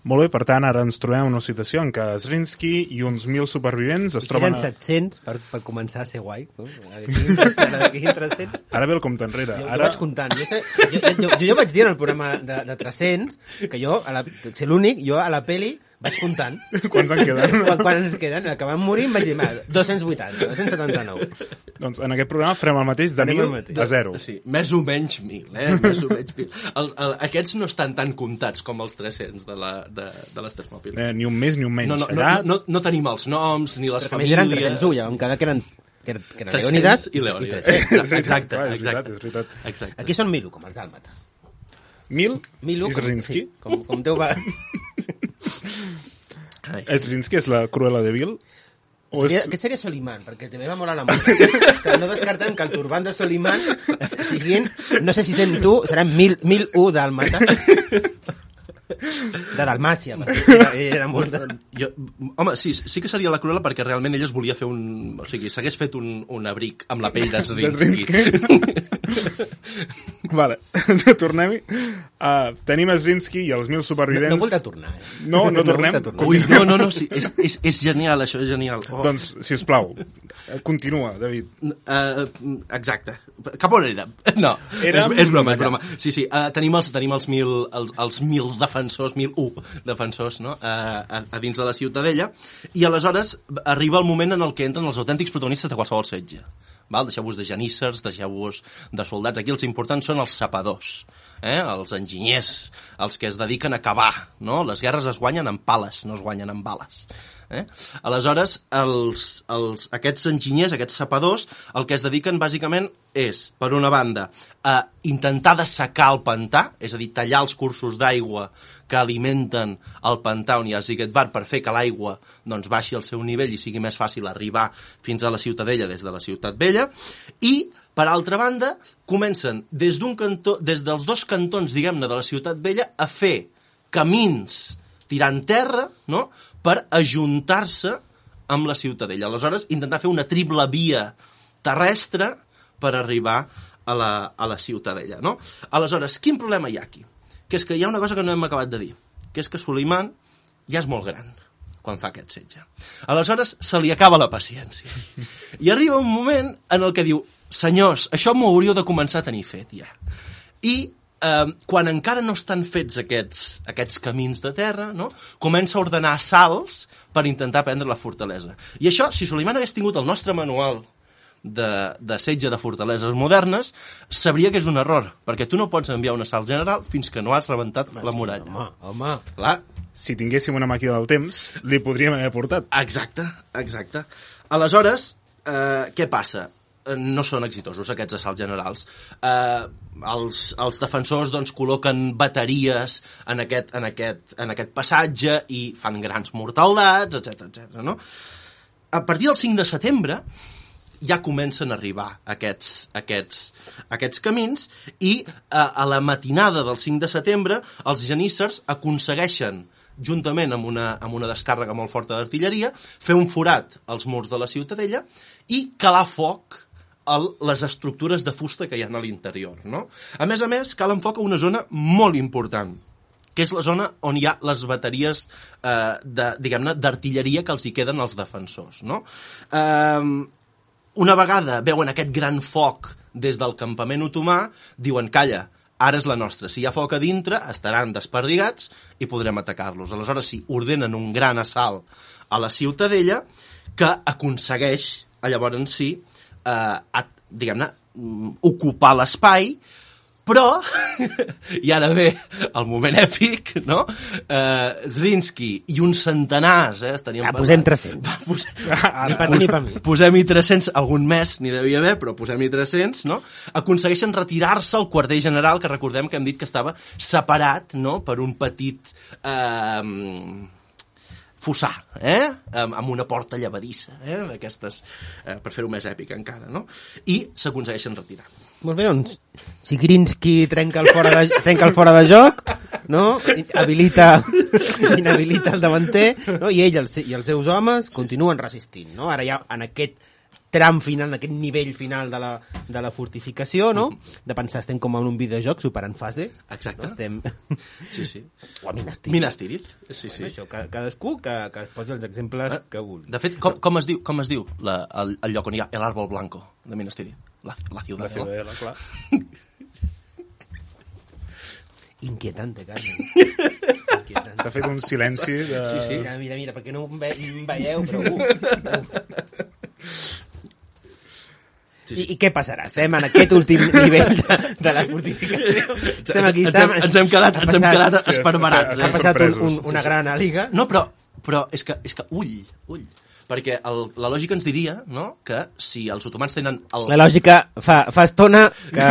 Molt bé, per tant, ara ens trobem en una situació en què Zrinski i uns mil supervivents es I troben... queden set-cents per, per començar a ser guai. No? Aquí tres-cents. Ara ve el compte enrere. Jo, ara... jo vaig comptant. Jo, sé, jo, jo, jo, jo vaig dir en el programa de, de tres-cents que jo, a la, ser l'únic, jo a la peli Vaig comptant. Quants en queden? Quan, quan ens queden? Que vam morir em vaig dir, dos-cents vuitanta, dos-cents setanta-nou. Doncs en aquest programa farem el mateix de mil a zero. Sí, més o menys mil, eh? Més o menys mil. El, el, aquests no estan tan comptats com els tres-cents de, la, de, de les Termòpiles. Eh, ni un més ni un menys. No, no, Allà... no, no, no tenim els noms ni les Però famílies. a més eren tres-cents u, ja vam quedar que eren, que eren, que eren Leònidas i Leònidas. Exacte, Exacte, clar, és exacte. veritat, és veritat. Exacte. Aquí són mil u, com els d'Àlmata. Mil, Mil u, i com, Zrinski. sí, com, com Déu va... Zrinski és la Cruella de Vil? O Seria, és... Aquest seria Soliman, perquè també va molar la música. O sigui, no descartem que el turbant de Soliman siguin, no sé si sent tu, seran mil, mil u d'Àlmata. De Dalmàcia, perquè era, era molt... De... Jo, home, sí, sí que seria la Cruella perquè realment ella es volia fer un... O sigui, s'hagués fet un, un abric amb la pell de Zrinski. Vale, tornem-hi. Uh, tenim a Zrinski i els mil supervivents... No, no vull tornar, eh? No, no tornem? No tornar. Ui, no, no, no, sí, és, és, és genial, això és genial. Oh. Doncs, si us plau, continua, David. Uh, exacte. Cap on érem? No, Érem... és, és broma, és broma. Sí, sí, uh, tenim, els, tenim els, mil, els, els mil defensors, mil u defensors, no?, uh, a, a dins de la Ciutadella, i aleshores arriba el moment en el que entren els autèntics protagonistes de qualsevol setge. Val? Deixeu-vos de geníssers, deixeu-vos de soldats. Aquí els importants són els sapadors, eh? Els enginyers, els que es dediquen a cavar, no? Les guerres es guanyen amb pales, no es guanyen amb bales. Eh? Aleshores, els, els, aquests enginyers, aquests sapadors, el que es dediquen bàsicament és, per una banda, a intentar dessecar el pantà, és a dir, tallar els cursos d'aigua que alimenten el pantà on hi ha Zigetbar per fer que l'aigua doncs, baixi al seu nivell i sigui més fàcil arribar fins a la Ciutadella des de la Ciutat Vella, i, per altra banda, comencen des, d'un cantó, des dels dos cantons, diguem-ne, de la Ciutat Vella a fer camins tirant terra, no?, per ajuntar-se amb la Ciutadella. Aleshores, intentar fer una triple via terrestre per arribar a la, a la Ciutadella, no? Aleshores, quin problema hi ha aquí? Que és que hi ha una cosa que no hem acabat de dir, que és que Suleiman ja és molt gran quan fa aquest setge. Aleshores, se li acaba la paciència. I arriba un moment en el que diu, senyors, això m'ho hauríeu de començar a tenir fet, ja. I Uh, quan encara no estan fets aquests, aquests camins de terra, no?, comença a ordenar assalts per intentar prendre la fortalesa. I això, si Suleiman hagués tingut el nostre manual de, de setge de fortaleses modernes, sabria que és un error, perquè tu no pots enviar un assalt general fins que no has rebentat la muralla. Home, home. Clar. Si tinguéssim una màquina del temps, li podríem haver portat. Exacte, exacte. Aleshores, eh, què passa? No són exitosos aquests assalts generals. Eh, els, els defensors doncs, col·loquen bateries en aquest, en, aquest, en aquest passatge i fan grans mortaldats, etcètera, etcètera. No? A partir del cinc de setembre ja comencen a arribar aquests, aquests, aquests camins i a, a la matinada del cinc de setembre els geníssers aconsegueixen, juntament amb una, amb una descàrrega molt forta d'artilleria, fer un forat als murs de la Ciutadella i calar foc a les estructures de fusta que hi ha a l'interior, no? A més a més, calen foc a una zona molt important, que és la zona on hi ha les bateries eh, de, diguem-ne, d'artilleria que els hi queden als defensors, no? Eh, una vegada veuen aquest gran foc des del campament otomà, diuen, calla, ara és la nostra. Si hi ha foc a dintre, estaran desperdigats i podrem atacar-los. Aleshores, sí, ordenen un gran assalt a la Ciutadella que aconsegueix, llavors sí, eh, diguem-ne, ocupar l'espai, però, i ara ve el moment èpic, no? Eh, Zrinski i uns centenars, eh? Ja, posem tres-cents. Pos... Ni per tu ni per mi. Posem-hi tres-cents, algun mes n'hi devia haver, però posem-hi tres-cents, no? Aconsegueixen retirar-se al quarter general, que recordem que hem dit que estava separat, no?, per un petit eh, fossar, eh?, amb, amb una porta llevadissa, eh?, d'aquestes, eh, per fer-ho més èpic encara, no? I s'aconsegueixen retirar. Molt bé, doncs, si Zrinski trenca el fora de, trenca el fora de joc, no?, habilita, inhabilita el davanter, no?, i ell els, i els seus homes continuen resistint, no? Ara ja en aquest tram final, en aquest nivell final de la, de la fortificació, no?, de pensar, estem com en un videojoc superant fases. Exacte. No? Estem... Sí, sí. O a Minas Tirith. Minas Tirith, sí, sí. Bueno, això, cadascú que, que es posi els exemples que vulgui. De fet, com, com es diu, com es diu la, el, el lloc on hi ha el árbol blanco de Minas Tirith? La, la ciutat, La ciudadela, clar. Inquietante, Carmen. Inquietante. S'ha fet un silenci de... Sí, sí. Mira, mira, mira, perquè no em, ve, em veieu, però... Uh, uh. Sí, sí. I, I què passarà? Estem en aquest últim nivell de, de la fortificació. Estem aquí, ens, hem, ens hem quedat, ens hem quedat Sí, esparverats. sí, Ha Eh? passat un, un, sorpresos. una gran àliga. No, però, però és, que, és que ull, ull. Perquè el, la lògica ens diria, no?, que si els otomans tenen... El... La lògica fa, fa estona que...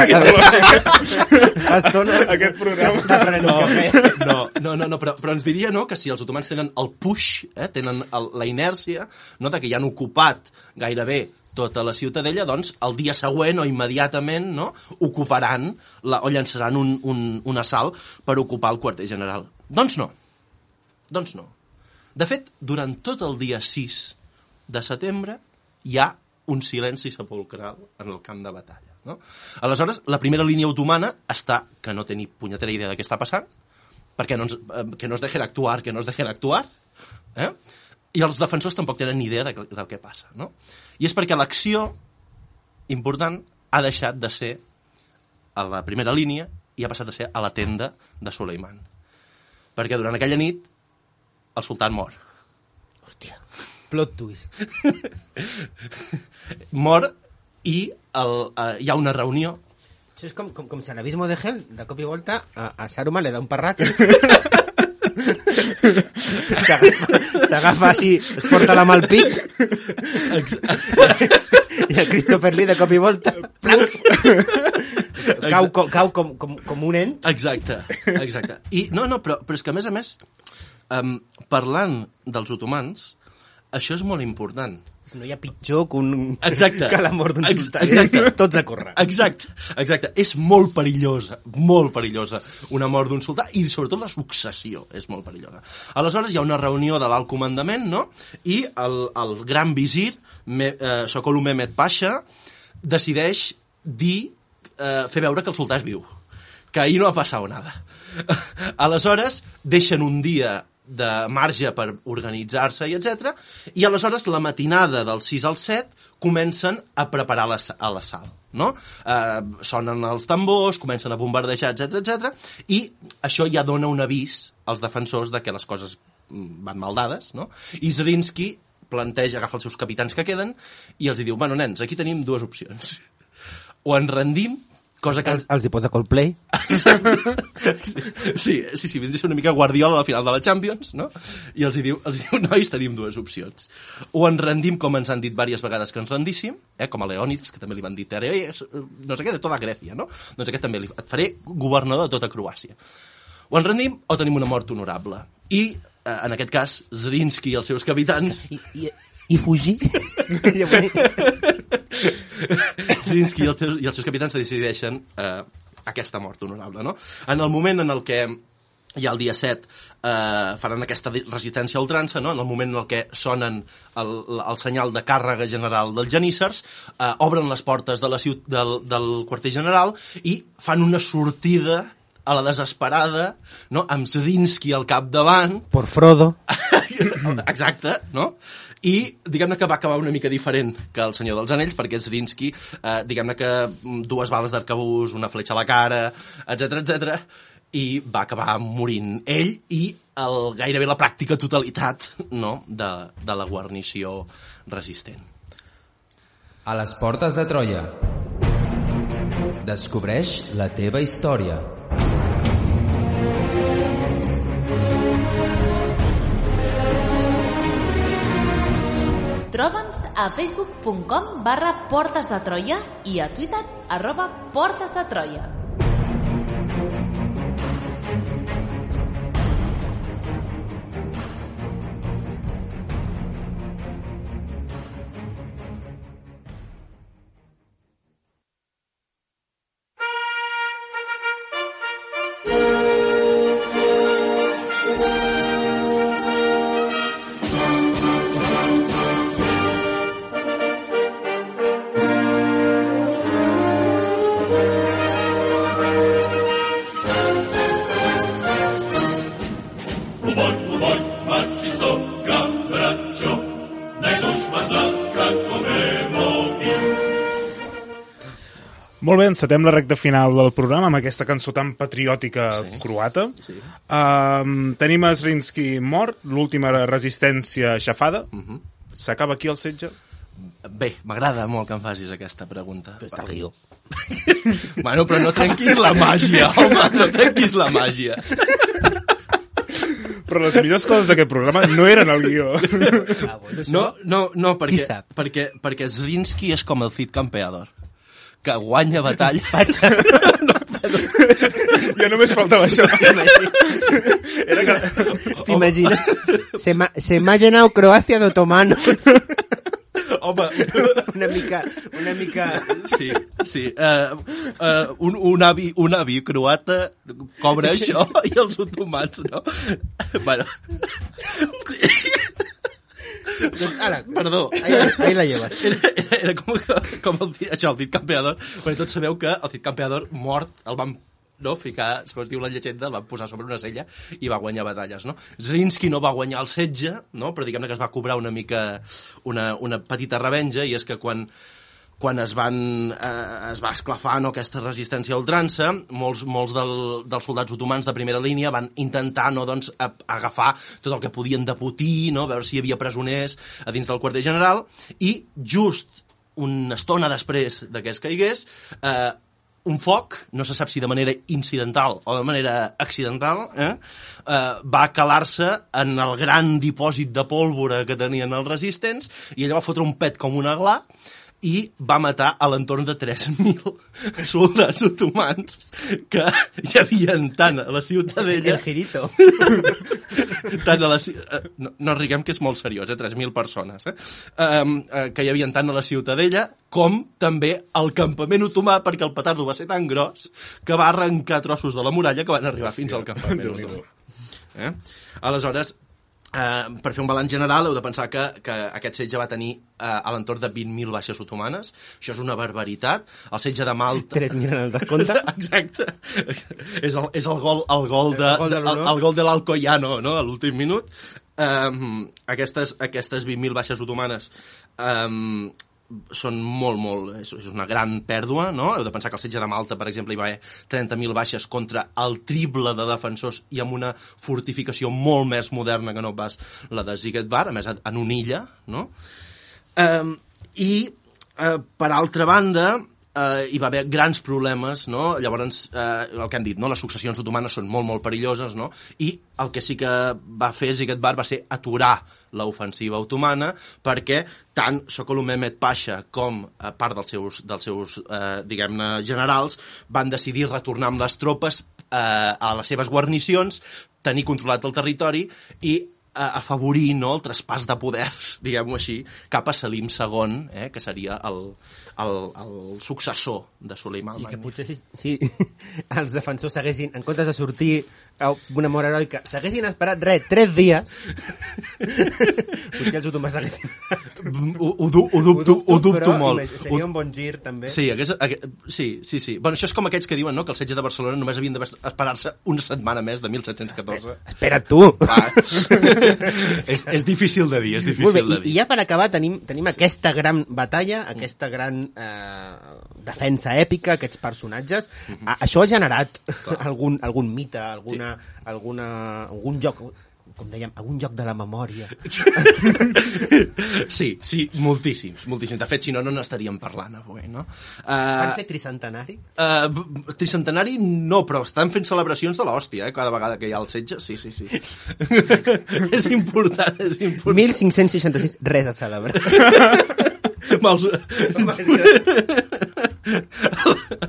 fa estona... Aquest programa... Està prenent No, un cafè. no, no, no, no però, però ens diria, no?, que si els otomans tenen el push, eh, tenen el, la inèrcia, no?, de que ja han ocupat gairebé tota la ciutadella, doncs el dia següent o immediatament, no?, ocuparan la, o llançaran un, un, un assalt per ocupar el quarter general. Doncs no. Doncs no. De fet, durant tot el dia sis de setembre hi ha un silenci sepulcral en el camp de batalla, no? Aleshores, la primera línia otomana està, que no té ni punyetera idea de què està passant, perquè no ens, eh, que no es dejen actuar, que no es dejen actuar, eh? I els defensors tampoc tenen ni idea de, del que passa, no? I és perquè l'acció important ha deixat de ser a la primera línia i ha passat a ser a la tenda de Suleiman. Perquè durant aquella nit el sultan mor. Hòstia, plot twist. Mor i el, uh, hi ha una reunió. Això és com, com, com si a l'abismo de Hell, de cop i volta, a, a Saruman li da un parrac. S'agafa així, es porta la mà al pic. I el Christopher Lee, de cop i volta, cau, cau, cau com, com, com un ent. Exacte, exacte. I, no, no, però, però és que a més a més, um, parlant dels otomans, això és molt important. No hi ha pitjor que, un... Exacte. que la mort d'un Ex sultà. exacte. Tots a córrer. Exacte, exacte. És molt perillosa, molt perillosa una mort d'un sultà i sobretot la successió és molt perillosa. Aleshores hi ha una reunió de l'alt comandament, no? I el, el gran visir, Me, eh, Sokollu Mehmed Pasha, decideix dir, eh, fer veure que el sultà és viu, que ahir no ha passat nada. Aleshores deixen un dia de marge per organitzar-se i etcètera, i aleshores la matinada del sis al set comencen a preparar la, a l'assalt, no? Eh, sonen els tambors, comencen a bombardejar, etcètera, etcètera, i això ja dona un avís als defensors de que les coses van mal dades, no? I Zrinski planteja, agafa els seus capitans que queden i els diu, bueno, nens, aquí tenim dues opcions. O ens rendim, cosa que... Els, els hi posa Coldplay. Sí, sí, sí, vindria una mica Guardiola a la final de la Champions, no? I els hi diu, els hi diu, nois, tenim dues opcions. O ens rendim, com ens han dit diverses vegades que ens rendíssim, eh, com a Leònidas, que també li van dir, no sé què, de tota Grècia, no? Doncs aquest també li, et faré governador de tota Croàcia. O ens rendim o tenim una mort honorable. I, eh, en aquest cas, Zrinski i els seus capitans... I, i, i fugir? Zrinski i els, teus, i els seus capitans decideixen eh, aquesta mort honorable, no? En el moment en el que hi ha el dia set eh, faran aquesta resistència a ultrança, no? En el moment en el que sonen el, el senyal de càrrega general dels geníssers, eh, obren les portes de la ciut, del, del quarter general i fan una sortida a la desesperada, no? Amb Zrinski al capdavant. Por Frodo. Exacte, no? I diguem-ne que va acabar una mica diferent que el Senyor dels Anells, perquè Zrinski, eh, diguem-ne que dues bales d'arcabús, una fletxa a la cara, etcètera, etcètera, i va acabar morint ell i el, gairebé la pràctica totalitat, no?, de, de la guarnició resistent. A les portes de Troia. Descobreix la teva història. Troba'ns a facebook punt com barra Portes de Troia i a Twitter arroba Portes de Troia. Molt bé, encetem la recta final del programa amb aquesta cançó tan patriòtica Sí. croata. Sí. Um, tenim a Zrinski mort, l'última resistència aixafada. Uh -huh. S'acaba aquí el setge? Bé, m'agrada molt que em facis aquesta pregunta. Però està el guió. Bueno, però no trenquis la màgia, home, no trenquis la màgia. Però les millors coses d'aquest programa no eren el guió. Ah, bueno, això... No, no, no, Qui perquè, sap? perquè, perquè Zrinski és com el Cid Campeador, que guanya batalla... Ja només faltava això. Era que... T'imagines? Se m'ha se m'ha llenat Croàcia d'otomanos. Home, Una mica... Una mica... sí, sí. Uh, uh, un, un, avi, un avi croata cobra això i els otomans, no? Bueno... Doncs, ara, Perdó. ahí, ahí la llevas. Era, era, era com, com el, això, el Cid Campeador, perquè tots sabeu que el Cid Campeador mort el van no, ficar, segons diu la llegenda, el van posar sobre una sella i va guanyar batalles, no? Zrinski no va guanyar el setge, no? Però diguem-ne que es va cobrar una mica una, una petita revenja, i és que quan quan es van eh, es va esclafar, no, aquesta resistència a ultrança, molts, molts del, dels soldats otomans de primera línia van intentar, no, doncs, a, agafar tot el que podien de botí, no, veure si hi havia presoners a dins del quarter general, i just una estona després de que es caigués, eh, un foc, no se sap si de manera incidental o de manera accidental, eh, eh, va calar-se en el gran dipòsit de pólvora que tenien els resistents, i ella va fotre un pet com una gla i va matar a l'entorn de tres mil soldats otomans que hi havia tant a la ciutadella... El girito. Tant a la, no, no riguem que és molt seriós, eh? tres mil persones, eh? Um, uh, que hi havia tant a la ciutadella com també al campament otomà, perquè el petardo va ser tan gros que va arrencar trossos de la muralla que van arribar Hòstia. fins al campament otomà. Eh? Aleshores, Uh, per fer un balanç general heu de pensar que, que aquest setge va tenir uh, a l'entorn de vint mil baixes otomanes. Això és una barbaritat. El setge de Malta... tres mil en el descompte. Exacte. és, el, és el gol, el gol de, el gol de, de, el, el gol de l'Alcoyano, no?, a l'últim minut. Um, aquestes, aquestes vint mil baixes otomanes um, són molt, molt... És, és una gran pèrdua, no? Heu de pensar que el setge de Malta, per exemple, hi va haver trenta mil baixes contra el triple de defensors i amb una fortificació molt més moderna que no pas la de Zigetbar, a més, en una illa, no? Um, I, uh, per altra banda, Uh, hi va haver grans problemes, no? Llavors, uh, el que hem dit, no? Les successions otomanes són molt, molt perilloses, no? I el que sí que va fer Zigetbar va ser aturar l'ofensiva otomana, perquè tant Sokolov Mehmet Pasha com a part dels seus, dels seus uh, diguem-ne, generals van decidir retornar amb les tropes uh, a les seves guarnicions, tenir controlat el territori i afavorir, no, el traspàs de poders, diguem-ho així, cap a Selim segon, eh, que seria el, el, el successor de Suleiman. Sí, que potser si, si els defensors s'haguessin, en comptes de sortir a una mort heroica, s'haguessin esperat res, tres dies, potser els otomans s'haguessin... Ho, ho, du, ho dubto, ho dubto però molt. Seria un bon gir, també. Sí, hagués, hagués, sí, sí, sí. Bueno, això és com aquells que diuen, no?, que el setge de Barcelona només havien d'esperar-se una setmana més de mil set-cents catorze. Espera't tu! Va. és, és difícil de dir, és difícil bé, de dir. I, I ja per acabar tenim, tenim aquesta gran batalla, aquesta gran eh, defensa èpica, aquests personatges. Mm-hmm. A, això ha generat algun, algun mite, alguna, sí. alguna, algun joc, com dèiem, algun joc de la memòria. Sí, sí, moltíssims, moltíssims. De fet, si no, no n'estaríem parlant avui, no? Uh, Van fer tricentenari? Uh, tricentenari no, però estan fent celebracions de l'hòstia, eh? Cada vegada que hi ha el setge, sí, sí, sí. És important, és important. mil cinc-cents seixanta-sis, res a celebrar. Mals...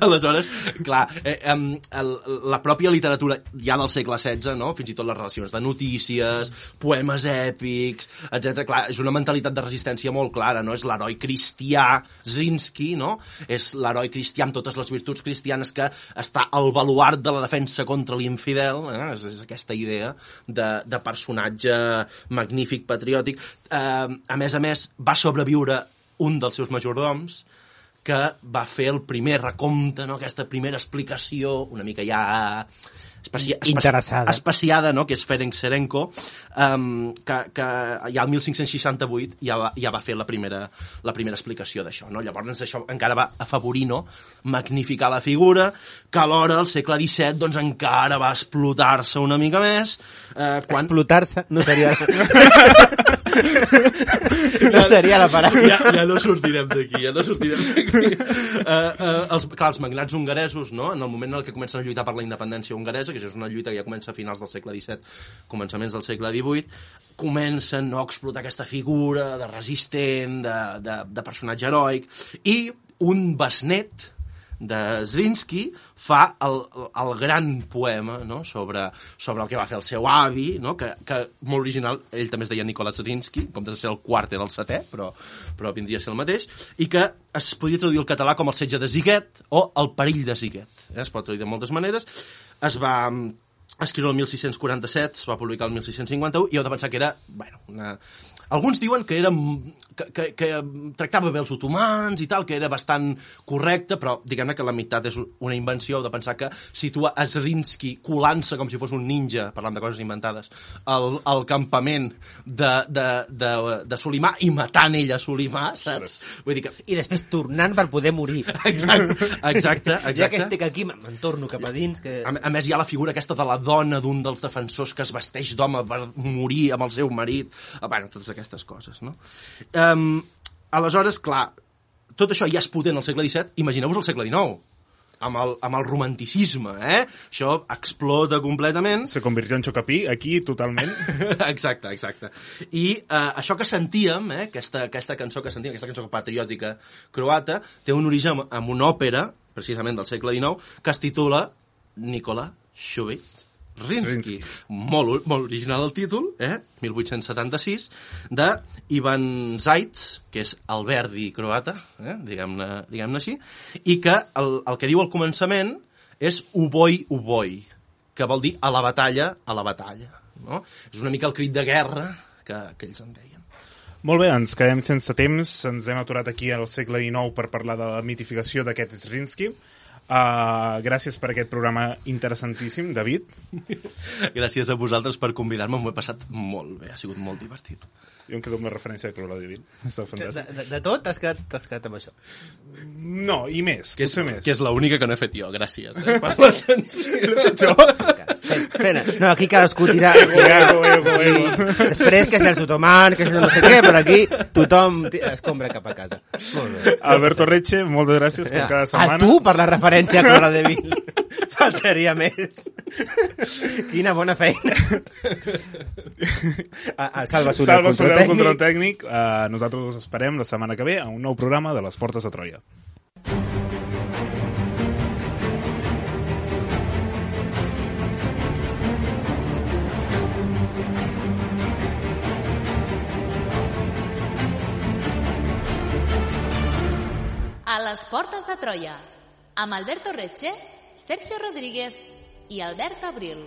Aleshores, clar, eh, el, la pròpia literatura ja del segle setze, no?, fins i tot les relacions de notícies, poemes èpics, etcètera. Clar, és una mentalitat de resistència molt clara, no? És l'heroi cristià Zrinski, no? És l'heroi cristià amb totes les virtuts cristianes que està al baluart de la defensa contra l'infidel, eh? és, és aquesta idea de, de personatge magnífic, patriòtic. Eh, a més a més, va sobreviure un dels seus majordoms, que va fer el primer recompte, no? Aquesta primera explicació, una mica ja Especia, interessada. Especiada, no?, que és Ferenc Serenko, um, que, que ja el mil cinc-cents seixanta-vuit ja va, ja va fer la primera, la primera explicació d'això, no? Llavors això encara va afavorir, no?, magnificar la figura, que alhora al segle disset doncs encara va explotar-se una mica més. Eh, quan... Explotar-se no seria... no seria la paraula. Ja, ja no sortirem d'aquí, ja no sortirem d'aquí. Uh, uh, els, clar, els magnats hongaresos, no?, en el moment en què comencen a lluitar per la independència hongaresa, que això és una lluita que ja comença a finals del segle disset, començaments del segle divuit, comencen, no?, a explotar aquesta figura de resistent, de, de, de personatge heroic, i un besnet de Zrinski fa el, el gran poema, no?, sobre, sobre el que va fer el seu avi, no?, que, que molt original, ell també es deia Nicolas Zrinski, com de ser el quart era el setè, però, però vindria a ser el mateix, i que es podria traduir al català com el setge de Ziguet o el perill de Ziguet. Eh? Es pot traduir de moltes maneres. Es va escriure el mil sis-cents quaranta-set, es va publicar el mil sis-cents cinquanta-u, i heu de pensar que era, bueno, una... Alguns diuen que era que, que, que tractava bé els otomans i tal, que era bastant correcte, però diguem-ne que la meitat és una invenció. Heu de pensar que situa a Zrinski colant-se com si fos un ninja, parlant de coses inventades, al, al campament de, de, de, de Solimà i matant ell a Solimà, saps? Vull dir que... I després tornant per poder morir. Exacte, exacte. exacte. Ja que estic aquí, me'n torno cap a dins. Que... A, a més, hi ha la figura aquesta de la dona d'un dels defensors que es vesteix d'home per morir amb el seu marit. Bueno, totes aquestes coses, no? Um, aleshores, clar, tot això ja és potent al segle disset, imagineu-vos el segle dinou, amb el, amb el romanticisme, eh? Això explota completament. Se convirtió en Chocapí, aquí, totalment. Exacte, exacte. I uh, això que sentíem, eh? aquesta, aquesta cançó que sentíem, aquesta cançó patriòtica croata, té un origen amb una òpera, precisament del segle dinou, que es titula Nikola Šubić Zrinski. Molt, molt original el títol, eh? mil vuit-cents setanta-sis, de Ivan Zaitz, que és el Verdi croata, eh? diguem-ne diguem-ne així, i que el, el que diu al començament és uboi, uboi, que vol dir a la batalla, a la batalla. No? És una mica el crit de guerra que, que ells en deien. Molt bé, ens quedem sense temps, ens hem aturat aquí al segle dinou per parlar de la mitificació d'aquest Zrinski. Uh, gràcies per aquest programa interessantíssim, David. Gràcies a vosaltres per convidar-me, m'ho he passat molt bé, ha sigut molt divertit. Jo em quedo amb la referència de Cruella de Vil. Està fantàstic. De, de, de tot t'has quedat, t'has quedat amb això? No, i més, que és, potser més. Que és l'única que no he fet jo, gràcies eh, per l'atenció. No, aquí cadascú tira... Ego, ego, ego. Després que si els otomans, que si no sé què, però aquí tothom escombra cap a casa. Molt bé. Alberto Reche, moltes gràcies com cada setmana. A tu per la referència a Cruella de Vil. Faltaria més. Quina bona feina. A, a Salva Soler, Salva Soler, el control control tècnic. Uh, nosaltres us esperem la setmana que ve a un nou programa de Les Portes de Troia. A les Portes de Troia, amb Alberto Reche, Sergio Rodríguez i Albert Abril.